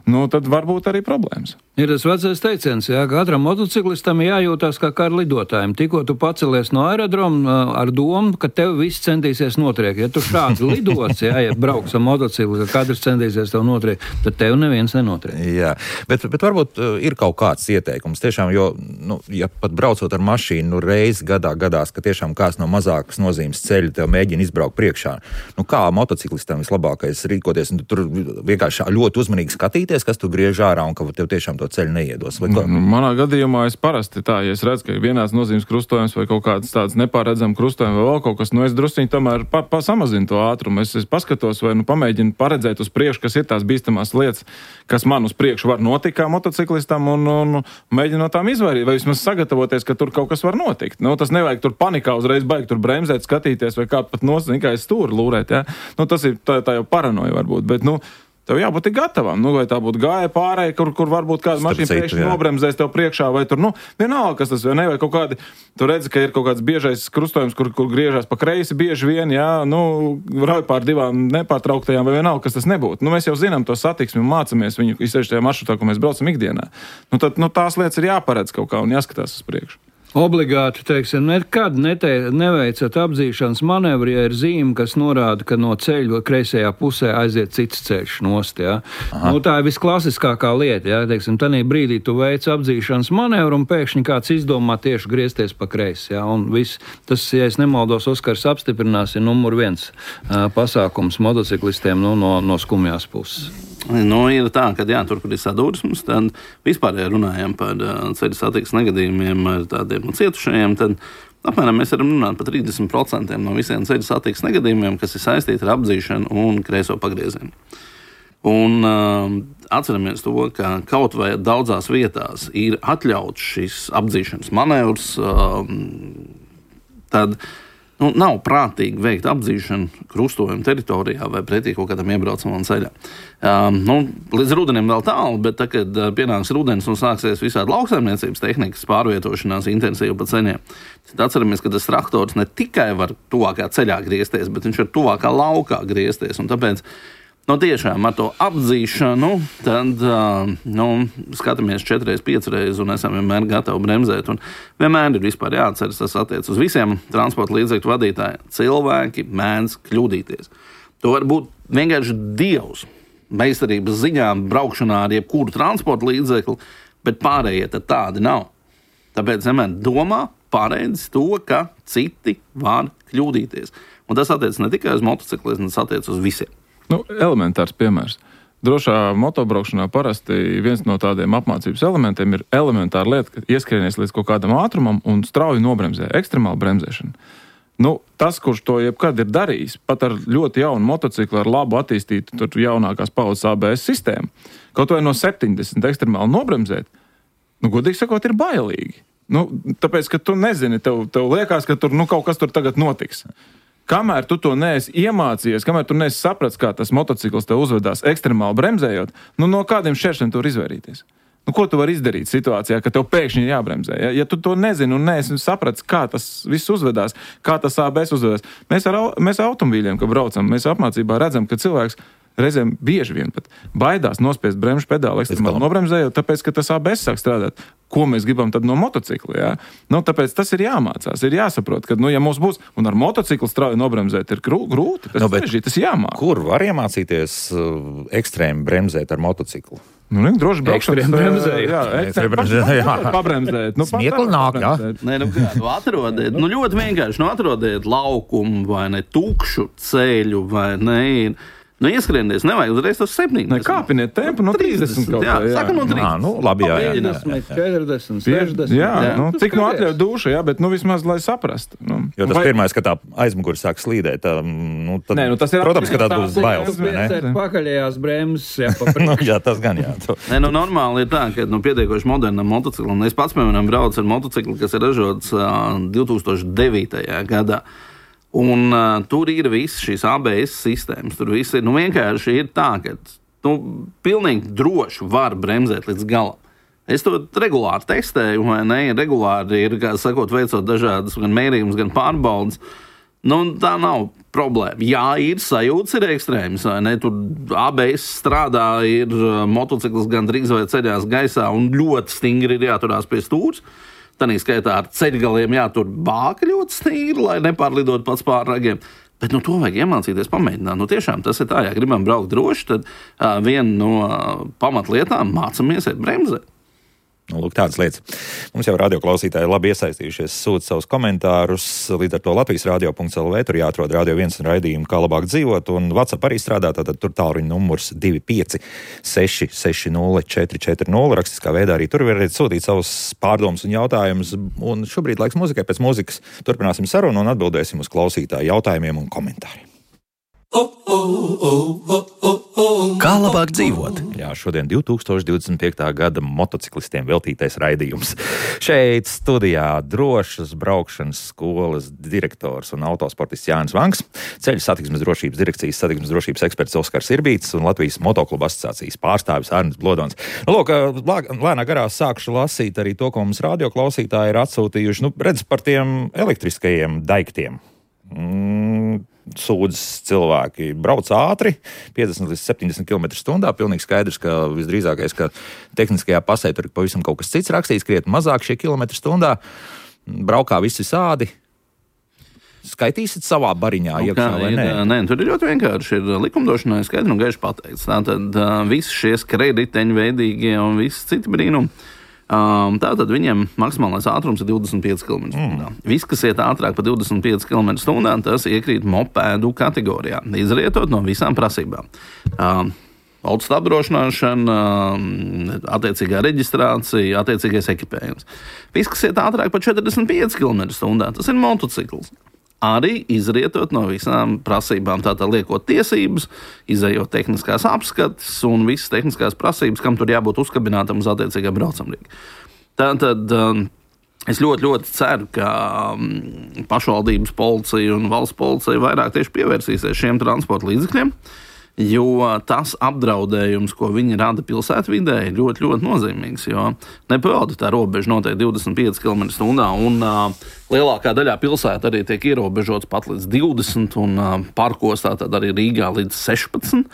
nu, tad varbūt arī problēmas. Ir tas vecais teiciens, jā, ka katram motociklistam jājūtās kā kara lidotājiem. Tikko tu pacelies no aerodroma ar domu, ka tev viss centīsies notriekt. Ja tu šādi lidots, jā, ja brauks ar motociklu, ka katrs centīsies tev notriekt, tad tev neviens nenotriekt. Jā, bet, bet varbūt ir kaut kāds ieteikums. Tiešām, jo, nu, ja pat braucot ar mašīnu, nu, reizi gadā gadās, ka tiešām kāds no mazākas nozīmes ceļa tev mēģina izbraukt priekšā. Nu, kā motociklistam vislabākais rīkoties? Un tur vienkārši ļoti uzmanīgi skatīties, kas tu griež ārā un ka tev tiešām to ceļu neiedos. Nu, manā gadījumā es parasti tā, ja es redzu, ka ir vienās nozīmes krustojums vai kaut kāds tāds nepārredzams krustojums vai vēl kaut kas, nu es drusciņi tomēr pa, pa samazinu to ātrumu. Es, es paskatos vai nu pamēģinu paredzēt uz priekšu, kas ir tās bīstamās lietas, kas man uz priekšu var notikt kā motociklistam un, un, un mēģinu no tām izvairīt vai vismaz sagatavoties, ka tur kaut kas var notikt. Nu, tas nevajag tur panikā uzreiz baigi tur bremzēt, skatīties vai kā pat nosacīt, kā es stūri lūrēt, ja? Nu, tas ir tā, tā jau paranoja varbūt, bet, nu, tev jābūt gatavam, nu, vai tā būtu gāja pārēja, kur, kur varbūt kāda mašīna pēkšņi nobremzēs tev priekšā, vai tur, nu, vienalga, kas tas, vai ne, vai kaut kādi, tu redzi, ka ir kaut kāds biežais krustojums, kur, kur griežās pa kreisi bieži vien, jā, nu, rauj pār divām nepārtrauktajām, vai vienalga, kas tas nebūtu. Nu, mēs jau zinām to satiksmi un mācamies viņu, izsevišķi tajā maršrutā, ko mēs braucam ikdienā. Nu, tad, nu, tās lietas ir jāparedz kaut kā un jāskatās uz priekšu. Obligāti, teiksim, nekad nete, neveicat apdzīšanas manevri, ja ir zīme, kas norāda, ka no ceļa kreisajā pusē aiziet cits ceļš nost, jā. Nu, tā ir visklasiskākā lieta, jā, teiksim, tanī brīdī tu veic apdzīšanas manevru un pēkšņi kāds izdomā tieši griezties pa kreisi, jā, un viss, tas, ja es nemaldos, Oskars apstiprinās, ir numur viens uh, pasākums motociklistiem, nu, no, no skumjās puses. Nu, ir tā, ka jā, tur, kur ir sadursmes, tad vispār, ja runājam par uh, ceļu satiksmes negadījumiem ar tādiem cietušajiem, tad apmēram mēs varam runāt par trīsdesmit procentiem no visiem ceļu satiksmes negadījumiem, kas ir saistīti ar apdzīšanu un kreiso pagriezienu. Un uh, atceramies to, ka kaut vai daudzās vietās ir atļauts šis apdzīšanas manevrs, uh, tad Nu, nav prātīgi veikt apdzīšanu krustojumu teritorijā vai pretī kaut kādam iebraucamam ceļam. Um, nu, līdz rudenim vēl tālu, bet tad, kad uh, pienāks rudens un sāksies visādi lauksaimniecības tehnikas pārvietošanās intensīvi pa ceļiem, tad atceramies, ka tas traktors ne tikai var tuvākā ceļā griezties, bet viņš var tuvākā laukā griezties. Un tāpēc nu, tiešām ar to apdzīšanu tad, uh, nu, skatāmies četreiz, piecreiz un esam vienmēr gatavi bremzēt. Un vienmēr ir vispār jāatceras, tas attiec uz visiem transporta līdzekļu vadītājiem. Cilvēki mēdz kļūdīties. To var būt vienkārši dievs meistarības ziņā braukšanā ar jebkuru transporta līdzekli, bet pārējie tad tādi nav. Tāpēc vienmēr domā pareizi to, ka citi var kļūdīties. Un tas attiec ne tikai uz motocikliem, tas attiec uz visiem. Nu, elementārs piemērs. Drošā motobraukšanā parasti viens no tādiem apmācības elementiem ir elementāra lieta, ka ieskrienies līdz kaut kādam ātrumam un strauji nobremzē, ekstremāla bremzēšana. Nu, tas, kurš to jebkad ir darījis, pat ar ļoti jaunu motociklu, ar labu attīstītu tur jaunākās paudzes A B S sistēmu, kaut vai no septiņdesmit ekstremāli nobremzēt, nu, godīgi sakot, ir bailīgi. Nu, tāpēc, ka tu nezini, tev, tev liekas, ka tur nu, kaut kas tur tagad notiks. Kamēr tu to neesi iemācījies, kamēr tu neesi sapratis, kā tas motocikls tev uzvedās ekstremāli bremzējot, nu no kādiem šķēršļiem tu var izvairīties? Nu, ko tu vari izdarīt situācijā, ka tev pēkšņi ir jābremzē? Ja, ja tu to nezini un neesi sapratis, kā tas viss uzvedās, kā tas A B S uzvedās, mēs ar, mēs ar automobīļiem, kad braucam, mēs apmācībā redzam, ka cilvēks reizēm bieži vien pat baidās nospiest bremžu pedāli ekstremāli nobremzējot, tāpēc, ka tas A B S sāk strādāt. Ko mēs gribam tad no motocikla, jā? Nu, tāpēc tas ir jāmācās, ir jāsaprot, ka, nu, ja mums būs, un ar motociklu strauji nobremzēt ir grūti, tas, no, tas ir jāmāk. Kur var iemācīties uh, ekstrēmi bremzēt ar motociklu? Nu, ne, droši braukšanas bremzēt. Jā, ekstrēmi bremzēt, jā. Pabremzēt. Nu, Smiekli nāk, jā. Nē, nu, kā, nu, atrodiet, nu, ļoti vienkārši, nu, atrodiet laukumu vai ne tukšu ceļu vai ne. Nu, ieskrieties, nevajag uzreiz tos septiņdesmit. Ne, kāpiniet tempu no trīsdesmit kaut jā, kā, jā. Saka no trīsdesmit. Nā, nu, labi, jā, jā. piecdesmit, četrdesmit, sešdesmit. Jā, jā. Nu, Nu, cik no atļauj duša, jā, bet nu vismaz, lai saprastu. Nu, Jo tas vai... pirmais, ka tā aizmuguri sāk slīdēt, tā, nu, tad, Nē, nu, tas ir protams, ka tas būs bailes, vai ne? Pakaļējās bremzes, jā, pa Nu, jā, tas gan jā. Nē, nu, normāli ir tā, ka nu, pietiekoši modernam motociklam. Es pats, piemēram, braucu ar motociklu, kas ir ražots uh, divtūkstoš devītajā gadā. Un uh, tur ir visas šīs A B S sistēmas. Tur viss ir nu, vienkārši ir tā, ka nu, pilnīgi droši var bremzēt līdz galam. Es to regulāri testēju, vai ne? Regulāri ir, kā sakot, veicot dažādas gan mērījumus, gan pārbaudas. Nu, tā nav problēma. Jā, ir sajūtas, ir ekstrēmas, vai ne? Tur A B S strādā, ir uh, motocikls gan drīz vai ceļās gaisā un ļoti stingri ir jāturās pie stūres. Tanī skaitā ar ceļgaliem jātur bāka ļoti stīri, lai nepārlidot pats pār ragiem. Bet nu, to vajag iemācīties pamēģināt. Nu, tiešām tas ir tā, ja gribam braukt droši, tad uh, viena no uh, pamatlietām mācāmies iet bremzēt. Nu, lūk, tādas lietas. Mums jau radioklausītāji labi iesaistījušies, sūta savus komentārus. Līdz ar to Latvijas radio punkts L V tur jāatrod Radio viens raidījumu, kā labāk dzīvot. Un WhatsApp arī strādā, tātad tur tālruņa numurs divi pieci seši seši nulle četri četri nulle. Rakstiskā veidā arī tur varat sūtīt savus pārdomus un jautājumus. Un šobrīd laiks muzikai, pēc muzikas turpināsim sarunu un atbildēsim uz klausītāju jautājumiem un komentāriem. Kā labāk dzīvot? Jā, šodien divtūkstoš divdesmit piektā gada motociklistiem veltītais raidījums. Šeit studijā drošas braukšanas skolas direktors un autosportists Jānis Vanks, Ceļu satiksmes drošības direkcijas satiksmes drošības eksperts Oskars Irbīts un Latvijas motokluba asociācijas pārstāvis Arnis Blodons. Nu, lūk, lēnā garā sākšu lasīt arī to, ko mums radioklausītāji ir atsūtījuši. Nu, redz par tiem elektriskajiem daiktiem. Mm. Sūdzas cilvēki brauc ātri, piecdesmit līdz septiņdesmit kilometru stundā. Pilnīgi skaidrs, ka visdrīzākais, ka tehniskajā pasē tur ir pavisam kaut kas cits rakstīts, krietni mazāk šie kilometri stundā. Braukā viss visādi. Skaitīsit savā bariņā, Nu, iekšā kā vai ir, nē? nē, tur ir ļoti vienkārši. Ir likumdošanai skaidri un gaiši pateikts. Tātad uh, visi šie skrējriteņu veidīgie un visi citi brīnumi. Um, tātad viņiem maksimālais ātrums ir divdesmit pieci kilometri stundā. Mm. Viss, kas iet ātrāk par divdesmit pieci kilometru stundā, tas iekrīt mopēdu kategorijā, izrietot no visām prasībām. Um, Autos apdrošināšana, um, attiecīgā reģistrācija, attiecīgais ekipējums. Viss, kas iet ātrāk par četrdesmit pieci kilometru stundā, tas ir motocikls. Arī izrietot no visām prasībām, tātad liekot tiesības, izējot tehniskās apskates un visas tehniskās prasības, kam tur jābūt uzkabinātam uz attiecīgā braucamrīga. Tātad um, Es ļoti, ļoti ceru, ka pašvaldības policija un valsts policija vairāk tieši pievērsīsies šiem transporta līdzekļiem, jo tas apdraudējums, ko viņi rada pilsētvidē, ir ļoti, ļoti nozīmīgs, jo nepildi tā robeža noteikti divdesmit pieci kilometri stundā, un uh, lielākā daļā pilsēta arī tiek ierobežots pat līdz divdesmit, un uh, parkos tātad arī Rīgā līdz sešpadsmit.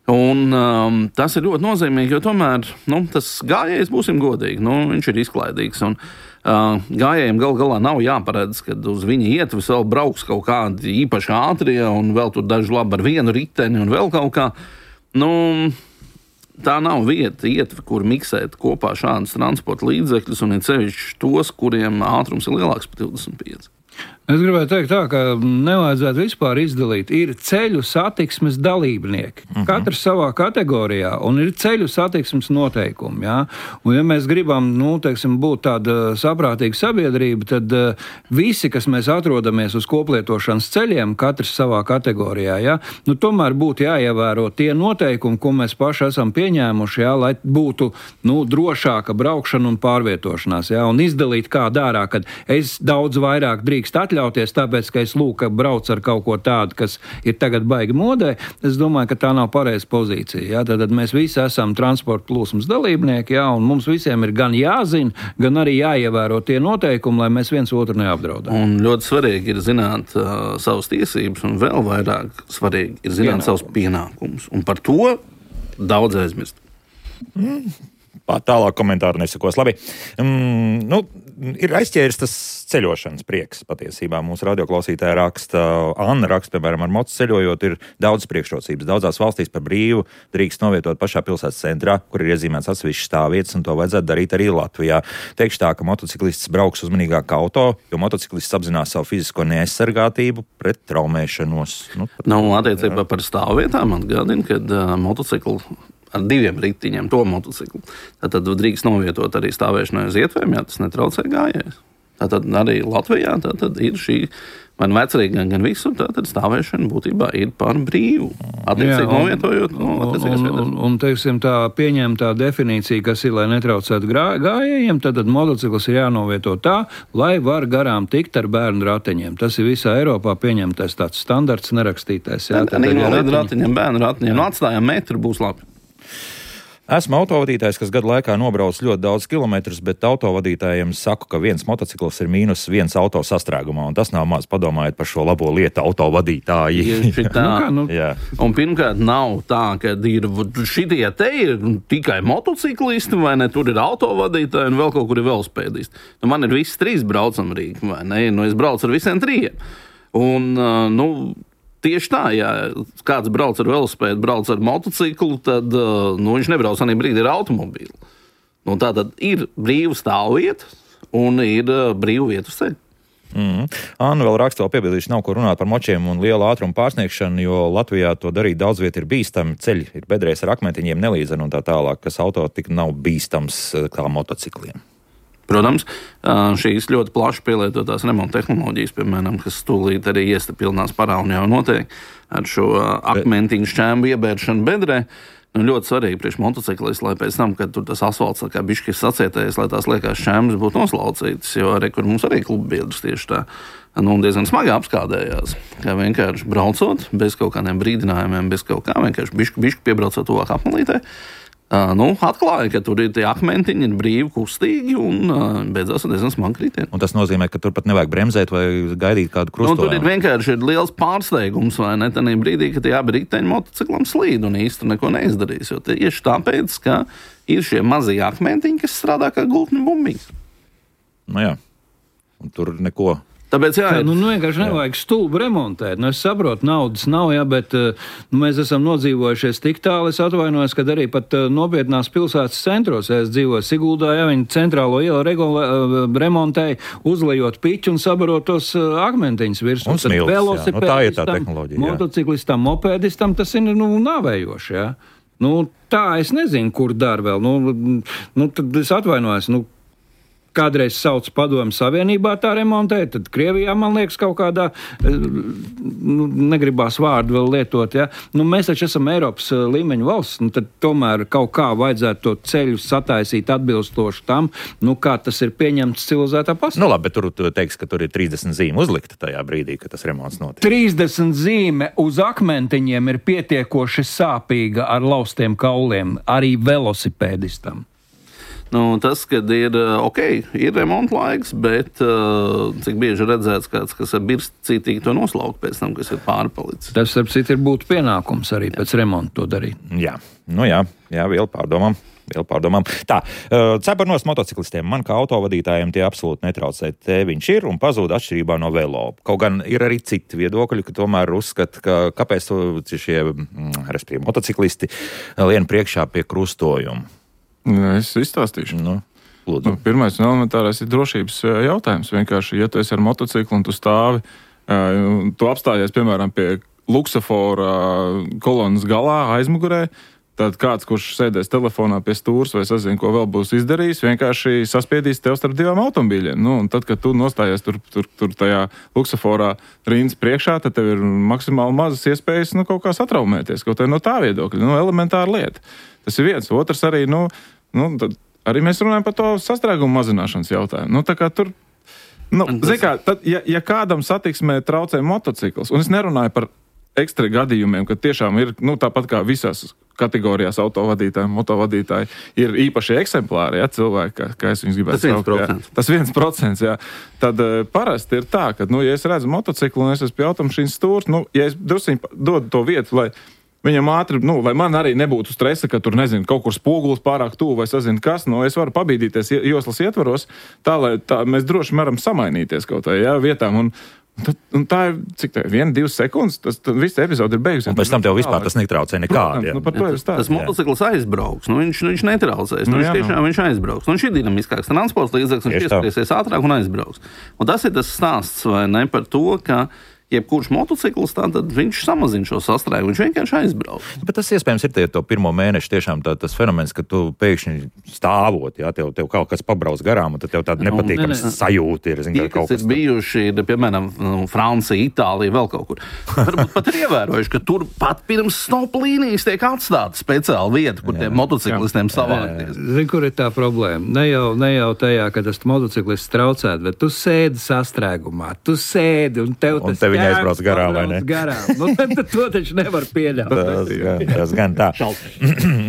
Un, um, tas ir ļoti nozīmīgi, jo tomēr nu, tas gājējs, būsim godīgi, nu, viņš ir izklaidīgs. Un, uh, gājējiem gal galā nav jāparedz, kad uz viņa ietves vēl brauks kaut kādi īpaši ātrie un vēl tur daži labi ar vienu riteni un vēl kaut kā. Nu, tā nav vieta, ietve, kur miksēt kopā šādas transporta līdzekļus un ir sevišķi tos, kuriem ātrums ir lielāks par divdesmit pieci. Es gribēju teikt tā, ka nevajadzētu vispār izdalīt. Ir ceļu satiksmes dalībnieki, uh-huh. katrs savā kategorijā, un ir ceļu satiksmes noteikumi. Jā? Un ja mēs gribam, nu, teiksim, būt tāda saprātīga sabiedrība, tad uh, visi, kas mēs atrodamies uz koplietošanas ceļiem, katrs savā kategorijā, jā? Nu, tomēr būtu jāievēro tie noteikumi, ko mēs paši esam pieņēmuši, jā? Lai būtu nu, drošāka braukšana un pārvietošanās. Jā? Un izdalīt kā dārā, kad es daudz vairāk drīkst atļauties, tāpēc, ka es lūk, ka brauc ar kaut ko tādu, kas ir tagad baigi modē, es domāju, ka tā nav pareiza pozīcija. Jā? Tad mēs visi esam transporta plūsmas dalībnieki, jā? Un mums visiem ir gan jāzina, gan arī jāievēro tie noteikumi, lai mēs viens otru neapdraudētu. Un ļoti svarīgi ir zināt uh, savas tiesības, un vēl vairāk svarīgi ir zināt Pienākums. savus pienākumus. Un par to daudz aizmirst. Mm. Tālāk komentāru nesakos. Labi. Mm, nu, ir aizķēris tas ceļošanas prieks patiesībā. Mūsu radioklausītāja raksta, Anna raksta, piemēram, ar mocu ceļojot, ir daudz priekšrocības. Daudzās valstīs par brīvu drīkst novietot pašā pilsētas centrā, kur ir iezīmēts atsevišķas stāvvietas, un to vajadzētu darīt arī Latvijā. Teikšu tā, ka motociklists brauks uzmanīgāk kā auto, jo motociklists apzinās savu fizisko neaizsargātību pret traumēšanos. Nu, Nav no, attiecībā par stāvvietām atgādina, kad uh, motociklu ar diviem ritiņiem to motociklu. Tad drīkst novietot arī stāvēšanai uz ietvēm, ja tas netraucē gājējs. Tātad arī Latvijā tātad ir šī, vai vecrīgi gan, gan visur, tātad stāvēšana būtībā ir par brīvu. Attiecīgi novietojot no attiecīgas vietas. Un, un, teiksim, tā pieņemtā definīcija, kas ir, lai netraucētu gājējiem, tad motocikls ir jānovieto tā, lai var garām tikt ar bērnu rateņiem. Tas ir visā Eiropā pieņemtais tāds standarts nerakstītais. Jā, tad arī no līdz ratiņiem, bērnu ratiņiem. No atstājām metru būs labi. Esmu autovadītājs, kas gadu laikā nobrauc ļoti daudz kilometrus, bet autovadītājiem saku, ka viens motocikls ir mīnus viens auto sastrēgumā, un tas nav maz, padomājiet par šo labo lietu autovadītāji. Tā. nu, un pirmkārt nav tā, ka ir šitie te ir tikai motociklisti, vai ne, tur ir autovadītāji un vēl kaut kur ir velospēdisti. Nu, man ir visi trīs braucamrīgi, vai ne, nu es braucu ar visiem trījiem. Un, nu, tieši tā, ja kāds brauc ar velospēdu, brauc ar motociklu, tad nu, viņš nebrauc arī brīdi ar automobīlu. Nu, tā tad ir brīva stāvvieta un ir brīva vieta uz ceļa. Mm. Anna vēl raksta, vēl piebildīšu, nav ko runāt par močiem un lielu ātrumu pārsniegšanu, jo Latvijā to darīt daudz viet ir bīstami, ceļi ir bedrēs ar akmentiņiem nelīdzeni un tā tālāk, kas auto tik nav bīstams kā motocikliem. Protams, šīs ļoti plaši pielietotās remonta tehnoloģijas, piemēram, kas tūlīt arī iestapilnās parā un jau notiek ar šo akmentiņu šķēmu iebēršanu bedrē. Nu, ļoti svarīgi priekš motociklis, lai pēc tam, kad tur tas asfalts kā bišķi ir sacietējis, lai tās liekās šķēmas būtu noslaucītas, jo arī, kur mums arī kluba biedrs tieši tā, nu, diezgan smagi apskādējās, kā vienkārši braucot, bez kaut kādiem brīdinājumiem, bez kaut kā, vienkārši bišķi, bišķi piebraucot tuvāk apmalītē. Uh, nu, atklāja, ka tur ir tie akmentiņi, ir brīvi, kustīgi un uh, beidzās ar diezgan smagu kritienu. Un tas nozīmē, ka tur pat nevajag bremzēt vai gaidīt kādu krustojumu. Nu, tur ir vienkārši ir liels pārsteigums, vai ne, tādā brīdī, ka tie abi riteņi motociklam slīd un īsti neko neizdarīs, jo tieši tāpēc, ka ir šie mazie akmentiņi, kas strādā kā gultni bumbīs. Nu jā, un tur neko... Tāpēc, jā, nu, nu vienkārši nevajag stulbu remontēt. Nu, es saprotu, naudas nav, jā, bet nu, mēs esam nodzīvojušies tik tālu, es atvainojos, kad arī pat nopietnās pilsētas centros, ja es dzīvoju Siguldā, ja viņi centrālo ielu regulē, remontēja, uzlejot piķu un sabarot tos akmentiņus virsū. Un smilts, jā. Nu, tā ir tā tehnoloģija. Motociklistam, mopēdistam tas ir nu, nāvējoši, jā. Nu, tā es nezinu, kur dar vēl. Nu, nu, tad es atvainojos, nu, kādreiz sauc Padomju Savienībā tā remontēja, tad Krievijā, man liekas, kaut kādā, nu, negribās vārdu vēl lietot, ja. Nu, mēs taču esam Eiropas līmeņa valsts, nu, tad tomēr kaut kā vajadzētu to ceļu sataisīt atbilstoši tam, nu, kā tas ir pieņemts civilizētā pasaulē. Nu, labi, bet tur tu teiks, ka tur ir trīsdesmit zīme uzlikta tajā brīdī, kad tas remonts notiek. trīsdesmit zīme uz akmentiņiem ir pietiekoši sāpīga ar laustiem kauliem, arī velosipēdistam. Nu, tas, kad ir, ok, ir remonta laiks, bet uh, cik bieži redzēts kāds, kas ir birst cītīgi to noslaukt pēc tam, kas ir pārpalicis. Tas, starp citu, ir būtu pienākums arī jā. Pēc remonta to darīt. Jā, nu jā, jā, vēl pārdomām. Vēl pārdomām. Tā, cepurnos motociklistiem man kā autovadītājiem tie absolūti netraucē. Te viņš ir un pazūd atšķirībā no velo. Kaut gan ir arī citi viedokļi, ka tomēr uzskata, ka kāpēc šie respektīvi motociklisti lien priekšā pie krustojuma. Es izstāstīšu. Nu, lūdzu. Nu, pirmais un elementārais ir drošības jautājums. Vienkārši, ja tu esi ar motociklu un tu stāvi, tu apstājies, piemēram, pie luksafora kolonas galā aizmugurē, tad kāds, kurš sēdēs telefonā pie stūras vai sazina, ko vēl būs izdarījis, vienkārši saspiedīs tev starp divām automobīļiem. Nu, un tad, kad tu nostājies tur, tur, tur tajā luksaforā rindas priekšā, tad tev ir maksimāli mazas iespējas nu, kaut kā satraumēties, kaut kā no tā viedokļa. Nu, elementāra lieta. Tas ir viens. Otrs arī, nu, nu tad arī mēs runājam par to sastrēgumu mazināšanas jautājumu. Nu, tā kā tur, nu, zin kā, tad, ja, ja kādam satiksmē traucē motocikls, un es nerunāju par ekstra gadījumiem, ka tiešām ir, nu, tāpat kā visās kategorijās autovadītāji, motovadītāji, ir īpaši eksemplāri, ja, cilvēki, kā, kā es viņus gribētu saukt. Tas viens procents. Tas viens procents, jā. Tad uh, parasti ir tā, ka, nu, ja es redzu motociklu un es esmu pie automašīnas stūrs, nu, ja es drusciņi dodu to vietu, lai viņam ātri, nu, lai man arī nebūtu stresa, ka tur, nezinu, kaut kur spogulis pārāk tuvu vai sazinu kas, nu, es varu pabīdīties joslas ietvaros, tā, lai tā, mēs droši varam samainīties kaut tā, jā, vietām, un Tad, un tā ir, cik tā ir, viena, divas sekundes, tas visa epizode ir beigusies. Un pēc tam tev vispār tas netraucē nekādi. Nu, par to ir stāsts. Tas motocikls aizbrauks, nu viņš, viņš netraucēs, nu, nu viņš tiešām nu. viņš aizbrauks. Nu, viņš ir dinamiskāks transports līdzeklis, viņš ieskriesies ātrāk un aizbrauks. Un tas ir tas stāsts, vai ne, par to, ka jebkurš motocikls, tad viņš samazina šo sastrēgumu, viņš vienkārši aizbrauc. Bet tas iespējams ir tie to pirmo mēnešu tiešām tā, tas fenomens, ka tu pēkšņi stāvot, jā, tev, tev kaut kas pabrauc garām, un tad tev tāda nepatīkams ne, ne. sajūta ir. Zin, Tie, kas ir bijuši, ir, piemēram, Francija, Itālija, vēl kaut kur. Varbūt pat ir ievērojuši, ka tur pat pirms stop līnijas tiek atstāta speciāla vieta, kur jā, tiem motociklistiem savākties. Zini, kur ir tā problēma? Ne jau, ne jau tajā, ka tas motociklists traucēt, bet tu sēdi sastrēgumā, tu sēdi un tev tas un viņa aizbrauc garām, vai ne? Garām. Nu, to taču nevar pieļaut. Tas gan, tas gan tā.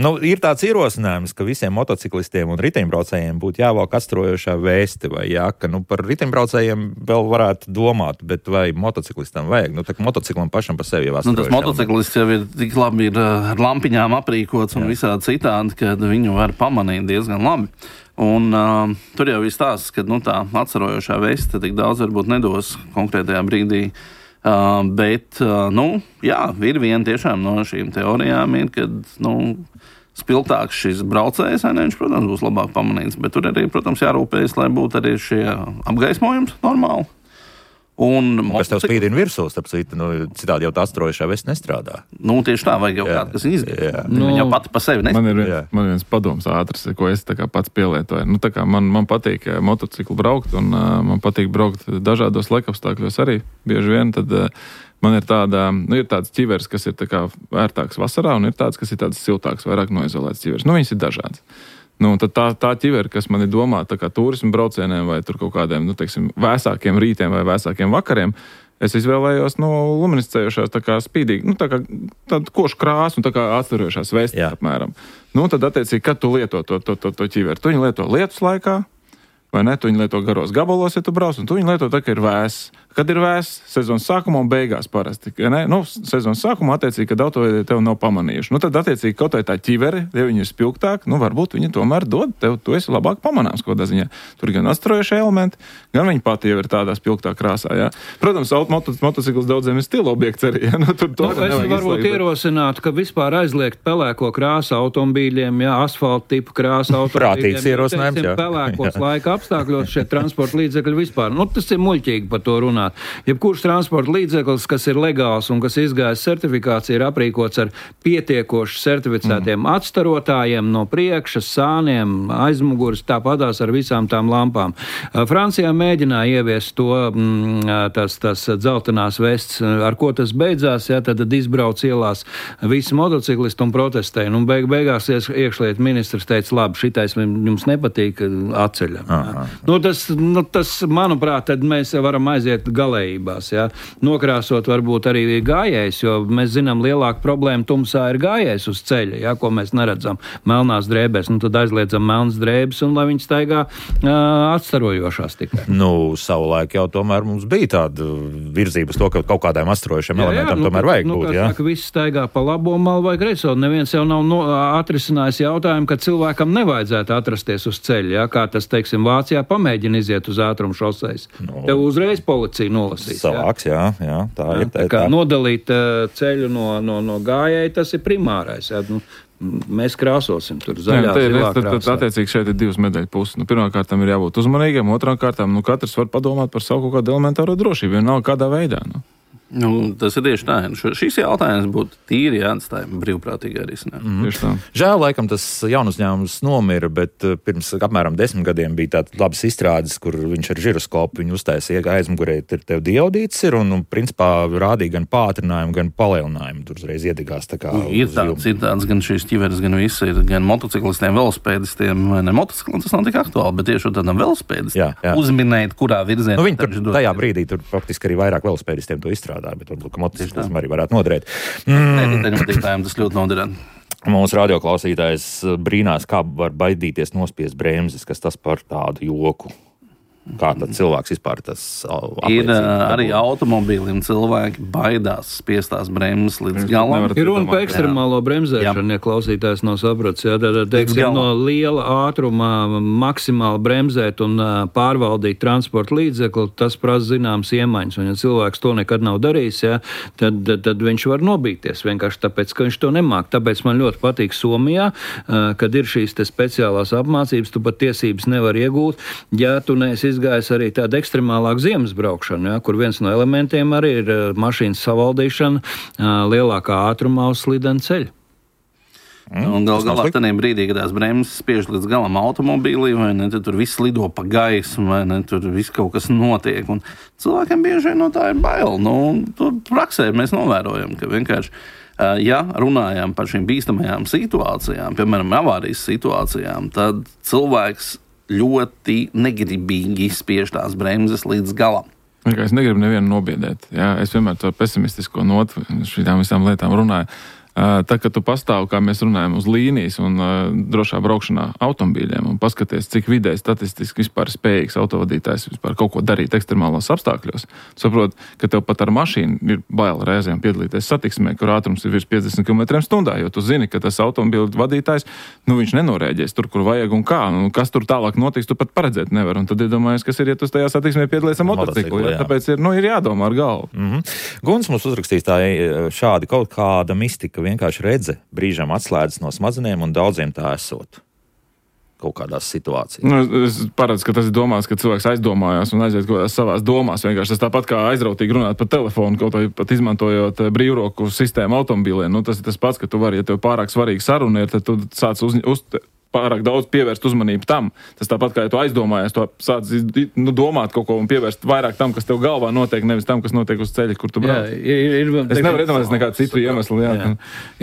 Nu, ir tāds ierosinājums, ka visiem motociklistiem un riteņbraucējiem būtu jāvalk atstrojošā vēsti vai jāka. Nu, par riteņbraucējiem vēl varētu domāt, bet vai motociklistam vajag? Nu, tā kā motociklam pašam par sevi jau atstrojošā. Nu, tas motociklists jau ir tik labi ir ar lampiņām aprīkots un jā. Visādi citādi, ka viņu var pamanīt diezgan labi. Un uh, tur jau ir stāsts, ka nu, tā atcerojošā veste tik daudz varbūt nedos konkrētajā brīdī. Uh, bet, uh, nu, jā, ir viena tiešām no šīm teorijām, ir, kad, nu, spilgtāks šis braucējs, ne, viņš, protams, būs labāk pamanīts, bet tur arī, protams, jārūpējas, lai būtu arī šie apgaismojums normāli. Un kas tev spīdina virsū, starp citu, nu, citādi jau tā atstrojošā veste nestrādā. Nu, tieši tā, vajag jau jā. Kādu, kas izdarīt. Nu, viņa jau pati pa sevi nestrādā. Man ir viens, man viens padoms ātrs, ko es tā kā pats pielietoju. Nu, tā kā man, man patīk motociklu braukt, un uh, man patīk braukt dažādos laikapstākļos arī bieži vien, tad uh, man ir tāda, nu, ir tāds ķiveres, kas ir tā kā vērtāks vasarā, un ir tāds, kas ir tāds siltāks, vairāk noizolēts ķiveres. Nu, viņas ir dažādas. Nu, tad tā, tā ķivere, kas man ir domāta tā kā turismu braucieniem vai tur kaut kādiem, nu, teiksim, vēsākiem rītiem vai vēsākiem vakariem, es izvēlējos, nu, luminiscējošās tā kā spīdīgi, nu, tā kā tādu košu krāsu un tā kā atstarojošās vestes apmēram. Nu, tad attiecīgi, kad tu lieto to, to, to, to ķiveri, tu viņu lieto lietus laikā, vai ne, tu viņu lieto garos gabalos, ja tu brauc, un tu viņu lieto tā, ka ir vēss. Kad ir vēss, sezonas sākumā un beigās parasti. Ne? Nu, sezonas sākumā attiecīgi, kad autovedi tev nav pamanījuši. Nu, tad attiecīgi kaut vai tā ķiveri, ja viņi ir spilgtāk, nu, varbūt viņi tomēr dod tev, tu esi labāk pamanāms kaut kādā ziņā. Tur gan atstarojošie elementi, gan viņi pati jau ir tādā spilgtā krāsā, jā. Protams, motos, motocikls daudziem ir stila objekts arī, jā. Nu, tur to nu, es varbūt izslēgt, ierosinātu, ka vispār aizliegt pelēko krāsu automobīļiem, jā, asfalta tipu krāsu automobīļiem. Prātīgs ierosinājums, jā. Pelēkos laika apstākļos šie transporta līdzekļi vispār. Nu, tas ir muļķīgi par to runāt. Jebkurš transporta līdzeklis, kas ir legāls un kas izgājis certifikāciju, ir aprīkots ar pietiekoši certificētiem mm. atstarotājiem no priekša, sāniem, aizmuguras, tāpatās ar visām tām lampām. Francijā mēģināja ieviest to, tas, tas dzeltenās vests, ar ko tas beidzās, ja, tad izbrauc ielās visi motociklisti un protestēja. Un beig, beigās iekšliet ministrs teica, labi, šitais jums nepatīk, atceļam. Ja. Nu, tas, nu, tas, manuprāt, tad mēs varam aiziet galējībās, ja. Nokrāsot varbūt arī gājējs, jo mēs zinām, lielāka problēma tumsā ir gājējs uz ceļa, ja, ko mēs neredzam melnās drēbēs. Nu, tad aizliedzam melnas drēbes un lai viņi staigā uh, atstarojošās tikai. Nu, savulaik jau tomēr mums bija tāda virzība uz to, ka kaut kādiem atstarojošiem elementiem nu, tomēr vajag nu, būt, jā? Nu, visi staigā pa labo malu vai kreiso. Neviens jau nav no, atrisinājis jautājumu, ka cilvēkam nevajadzētu atrasties uz ceļa, ja, kā tas, teiksim, Vācijā pamēģina iziet uz ātrumu šoseis. No. Tev uzreiz policija nolasīs. Savāks, jā, jā, tā jā, ir. Tā, tā kā tā. Nodalīt uh, ceļu no, no, no gājēji, tas ir primārais. Jā. Nu, mēs krāsosim tur zaļā, jā, zilā tad, tad, attiecīgi šeit ir divas medaļu puses. Nu, pirmkārtām ir jābūt uzmanīgiem, otrām kārtām, nu, katrs var padomāt par savu kaut kādu elementāro drošību, vienalga kādā veidā. Nu. Nu, tas ir tieši tā. Šis jautājums būtu tīri jāatstāj brīvprātīgā risinājumā. Mm. Žēl, laikam, tas jaunuzņēmums nomira, bet pirms apmēram desmit gadiem bija tāds labs izstrādes, kur viņš ar žiroskopu viņu uztaisīja aizmugurē, tur tev diodīts ir un, un principā rādīja gan pātrinājumu, gan palielinājumu. Tur uzreiz iedigās tā kā. Ir tāds, ir tāds, gan šīs ķiveres, gan visi ir, gan motociklistiem, velospēdistiem, ne motociklistiem, tas nav tik aktuāli, bet tieši tādam velospēdistiem uzminēt, kurā virzienā. Nu, viņi tur tajā brīdī tur faktiski arī vairāk velospēdistiem to izstrādā. Bet varbūt, ka motociklism arī varētu noderēt. Mm. Tas ļoti noderēt. Mūsu radioklausītājs brīnās, kā var baidīties nospiest bremzes, kas tas par tādu joku. Kā tad cilvēks vispār tas apliecina? Ir arī automobīlim cilvēki baidās spiestās bremzes līdz galam. Ir runa par ekstremālo bremzēšanu, ja klausītājs nav sapratis. Ja, tad, teiksim, no liela ātrumā maksimāli bremzēt un pārvaldīt transporta līdzekli, tas prasa zināms iemaņas. Un ja cilvēks to nekad nav darījis, ja, tad, tad viņš var nobīties vienkārši tāpēc, ka viņš to nemāk. Tāpēc man ļoti patīk Somijā, kad ir šīs te speciālās apmācības, tu pat tiesības nevar iegūt, ja tu neesi izgājis arī tāda ekstremālāka ziemas braukšana, ja, kur viens no elementiem arī ir mašīnas savaldīšana lielākā ātrumā uz slidena ceļa. Mm, un gal galā tādā brīdī, kad tās bremzes spiež līdz galam automobīlī, vai ne, tad tur viss lido pa gaisu, vai ne, tur viss kaut kas notiek. Un cilvēkiem bieži no tā ir bail. Nu, tur praksē mēs novērojam, ka vienkārši, ja runājam par šīm bīstamajām situācijām, piemēram, avārijas situācijām, tad cilvēks ļoti negribīgi spiež tās bremzes līdz galam. Es negribu nevienu nobiedēt. Jā, es vienmēr to pesimistisko notu šīm visām lietām runāju. Tā, kad tu pastāv, kā mēs runājam, uz līnijas un uh, drošā braukšanā automobīļiem un paskaties, cik vidēji statistiski vispār spējīgs autovadītājs vispār kaut ko darīt ekstremālos apstākļos, saprot, ka tev pat ar mašīnu ir bail reizēm piedalīties satiksmē, kur ātrums ir virs piecdesmit kilometriem stundā, jo tu zini, ka tas automobīļu vadītājs, nu viņš nenorēģēs tur, kur vajag un kā, un kas tur tālāk notiks, tu pat paredzēt nevar, un tad iedomājies, kas ir, ja tu tajā satiksmē piedalīes ar motociklu, jā. Tāpēc ir, nu, ir jādomā ar galvu. Mm-hmm. Guns mums uzrakstīs tā šādi kaut kāda mistika, vienkārši redze brīžam atslēdzas no smadzenēm un daudziem tā esot kaut kādās situācijās. Nu, es paredzu, ka tas ir domāts, ka cilvēks aizdomājās un aiziet kaut kādās savās domās. Vienkārši tas tāpat kā aizrautīgi runāt pa telefonu, kaut vai pat izmantojot brīvroku sistēmu automobīliem. Nu, tas ir tas pats, ka tu vari, ja tev pārāk svarīgi saruna ir, tad tu sāc uz, uz pārāk daudz pievērst uzmanību tam. Tas tāpat kā ja tu aizdomājies, to sāc nu, domāt kaut ko un pievērst vairāk tam, kas tev galvā notiek, nevis tam, kas notiek uz ceļa, kur tu brauc. Jā, ir, ir, es teiksim, nevaru iedomāties nekādu citu iemeslu. Jā. Jā.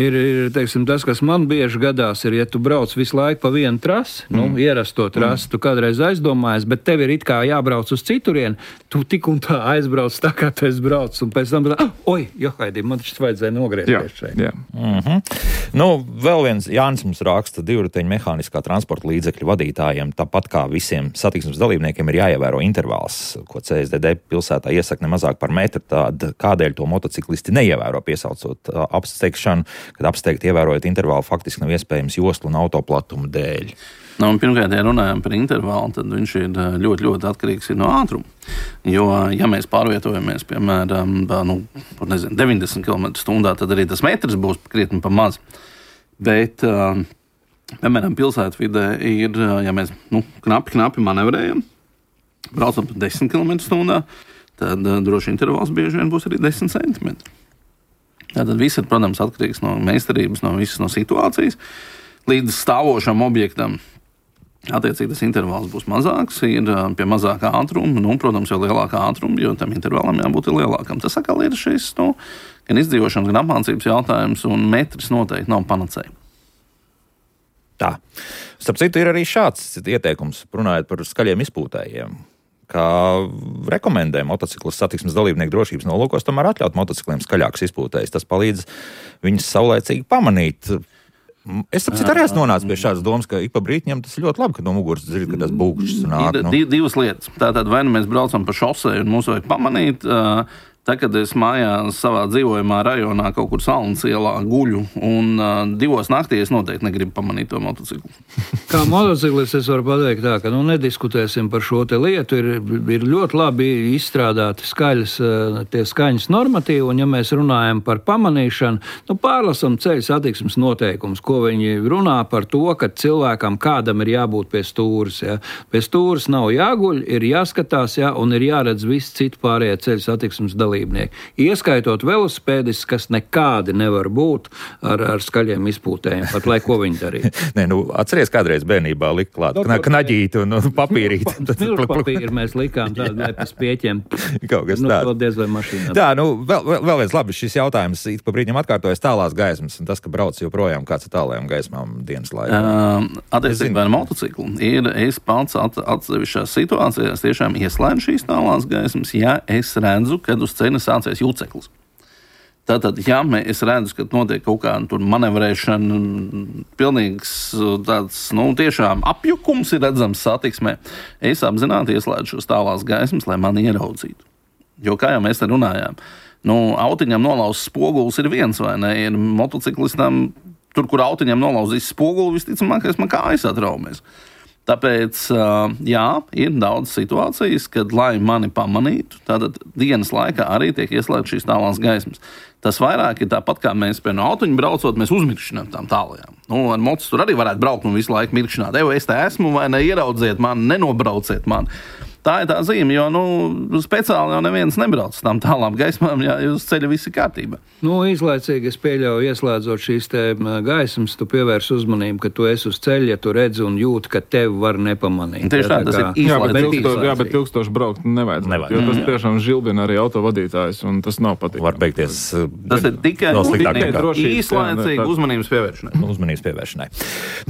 Ir, ir teiksim, tas, kas man bieži gadās, ir, ja tu brauc visu laiku pa vienu trasi, mm. nu, ierasto trasi, mm. tu kādreiz aizdomājies, bet tev ir it kā jābrauc uz citurien, tu tik un tā aizbrauc tā, kā tu esi brauc, un pēc tam, ah, oi, johaidī, man taču vajadzēja nogriezties šeit. Jā. Mm-hmm. Nu, vēl viens Jānis mums raksta divriteņu mehāniskā transporta līdzekļu vadītājiem, tāpat kā visiem satiksmes dalībniekiem ir jāievēro intervāls, ko C S D D pilsētā iesaka ne mazāk par metru, tad kādēļ to motociklisti neievēro piesaucot apsteigšanu, kad apsteigt ievērojot intervālu faktiski nav iespējams joslu un autoplatumu dēļ. Nu, pirmkārt, ja runājam par intervālu, tad viņš ir ļoti, ļoti atkarīgs no ātruma. Jo, ja mēs pārvietojamies, piemēram, nu, nezinu, deviņdesmit kilometrus stundā, tad arī tas metrs būs krietni pa maz. Bet piemēram, pilsētvidē ir, ja mēs nu, knapi, knapi manevrējam, braucam pa desmit kilometrus stundā, tad uh, droši intervāls bieži vien būs arī desmit centimetri. Tātad viss ir, protams, atkarīgs no meistarības, no visas no situācijas. Līdz stāvošam objektam, attiecīgi tas intervāls būs mazāks, ir pie mazākā ātruma, nu, protams, jau lielākā ātruma, jo tam intervālam jābūt lielākam. Tas atkal ir šis, nu, gan izdzīvošanas, gan apmācības jautājums, un metrs noteikti nav panacēja. Tā. Starp citu, ir arī šāds ieteikums, runājot par skaļiem izpūtējiem, kā rekomendē motociklis satiksmes dalībnieku drošības nolūkos tomēr atļaut motocikliem skaļākus izpūtējus. Tas palīdz viņus saulēcīgi pamanīt. Es saprotu, arī esmu nonācis pie šādas domas, ka ik pa brītiņam tas ir ļoti labi, ka no muguras dzird, ka tas būkšķis nāk. Ir div, divas lietas. Tātad vai nu mēs braucam pa šosei un mums vajag pamanīt, uh, tā, kad es mājās savā dzīvojamā rajonā kaut kur Salnas ielā guļu un uh, divos naktī es noteikti negribu pamanīt to motociklu. Kā motociklis es varu pateikt tā, ka nu nediskutēsim par šo te lietu, ir, ir ļoti labi izstrādāti skaļas, tie skaņas normatīvi, un ja mēs runājam par pamanīšanu, nu pārlasam ceļu satiksmes noteikumus, ko viņi runā par to, ka cilvēkam kādam ir jābūt pie stūras, ja. Pie stūras nav jāguļ, ir jāskatās, ja, un ir jāredz visi citi pārējie ceļu satiksmes dalībnieki. Ieskaitot velosipēdis, kas nekādi nevar būt ar, ar skaļiem izpūtējiem, pat lai ko viņi darītu. Nē, nu, atceries, kādreiz bērnībā lika klāt kna, knaģīti un, un papīrīti. Milku papīri mēs likām tādu, lai pēc pieķiem. Kaut kas nu, tāds. Nu, diez vai mašīnā. Tā, nu, vēl, vēl viens labi šis jautājums. Ik pa brīdiem atkārtojas tālās gaismas, un tas, ka brauc joprojām kāds ar tālajām gaismām dienas laikā. Uh, Attiecībā ar motociklu ir, es pats at, atsevišķās situācijās tiešām ieslēdzu šīs tālās gaismas, ja es redzu, kad uz ceļa sācies jūceklis. Tātad, ja es redzu, ka notiek kaut kāda tur manevrēšana, pilnīgs tāds, nu, tiešām apjukums ir redzams satiksmē, es apzināti ieslēdzu šos tālās gaismas, lai mani ieraudzītu. Jo, kā jau mēs te runājām, nu, autiņam nolauzts spogulis ir viens, vai ne? Ir motociklistam, tur, kur autiņam nolauzīs spoguli, visticamākais man kājas atraumies. Tāpēc, jā, ir daudz situācijas, kad, lai mani pamanītu, tātad dienas laikā arī tiek ieslēgts šīs tālās gaismas. Tas vairāk ir tāpat, kā mēs pie no autiņa braucot, mēs uzmirkšinām tām tālajām. Nu, ar mocis tur arī varētu braukt un visu laiku mirkšināt. Evo, es te esmu, vai ne, ieraudziet mani, nenobrauciet mani. Tā ir tā zīme, jo, nu, speciāli jau neviens nebrauc uz tām tālām gaismām, ja uz ceļa viss ir kārtībā. Nu, īslaicīgi es pieļauju, ieslēdzot šīs te gaismas, tu pievērs uzmanību, ka tu esi uz ceļa, ja tu redzi un jūti, ka tevi var nepamanīt. Tieši tā, tas ir jā, bet, īslaicīgi. ilgstoši, jā, bet ilgstoši braukt nevajag. nevajag. Jo tas tiešām žilbina arī autovadītājs, un tas nav patīkami. Var beigties. Tas ir tikai īslaicīgi uzmanības pievēršanai. Uzmanības pievēršanai.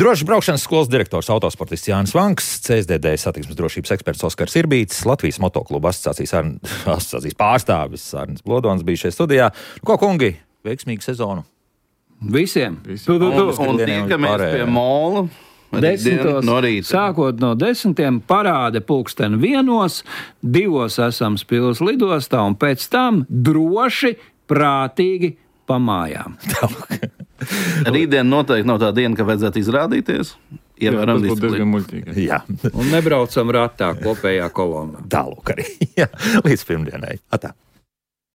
Drošas braukšanas skolas direktors autosportists Jānis Vanks, C S D D satiksmes drošības eksperts Oskars Irbīts, Latvijas motokluba asociācijas, asociācijas pārstāvis Arnis Blodons bija šeit studijā. Ko, kungi, veiksmīgu sezonu? Visiem. Visi. Tu, tu, tu. Un, un tiekamies pie mola. Desmitos, no rīta. Sākot no desmitiem, parāde pulksteni vienos, divos esam Spils lidostā un pēc tam droši, prātīgi pa mājām. Rītdien noteikti nav tā diena, ka vajadzētu izrādīties. Jā, Ievēram tas būtu diezgan disciplīnu. muļķīgi. Jā, Un nebraucam ratā kopējā kolonā. tālūk arī. Jā, līdz pirmdienai. Atā.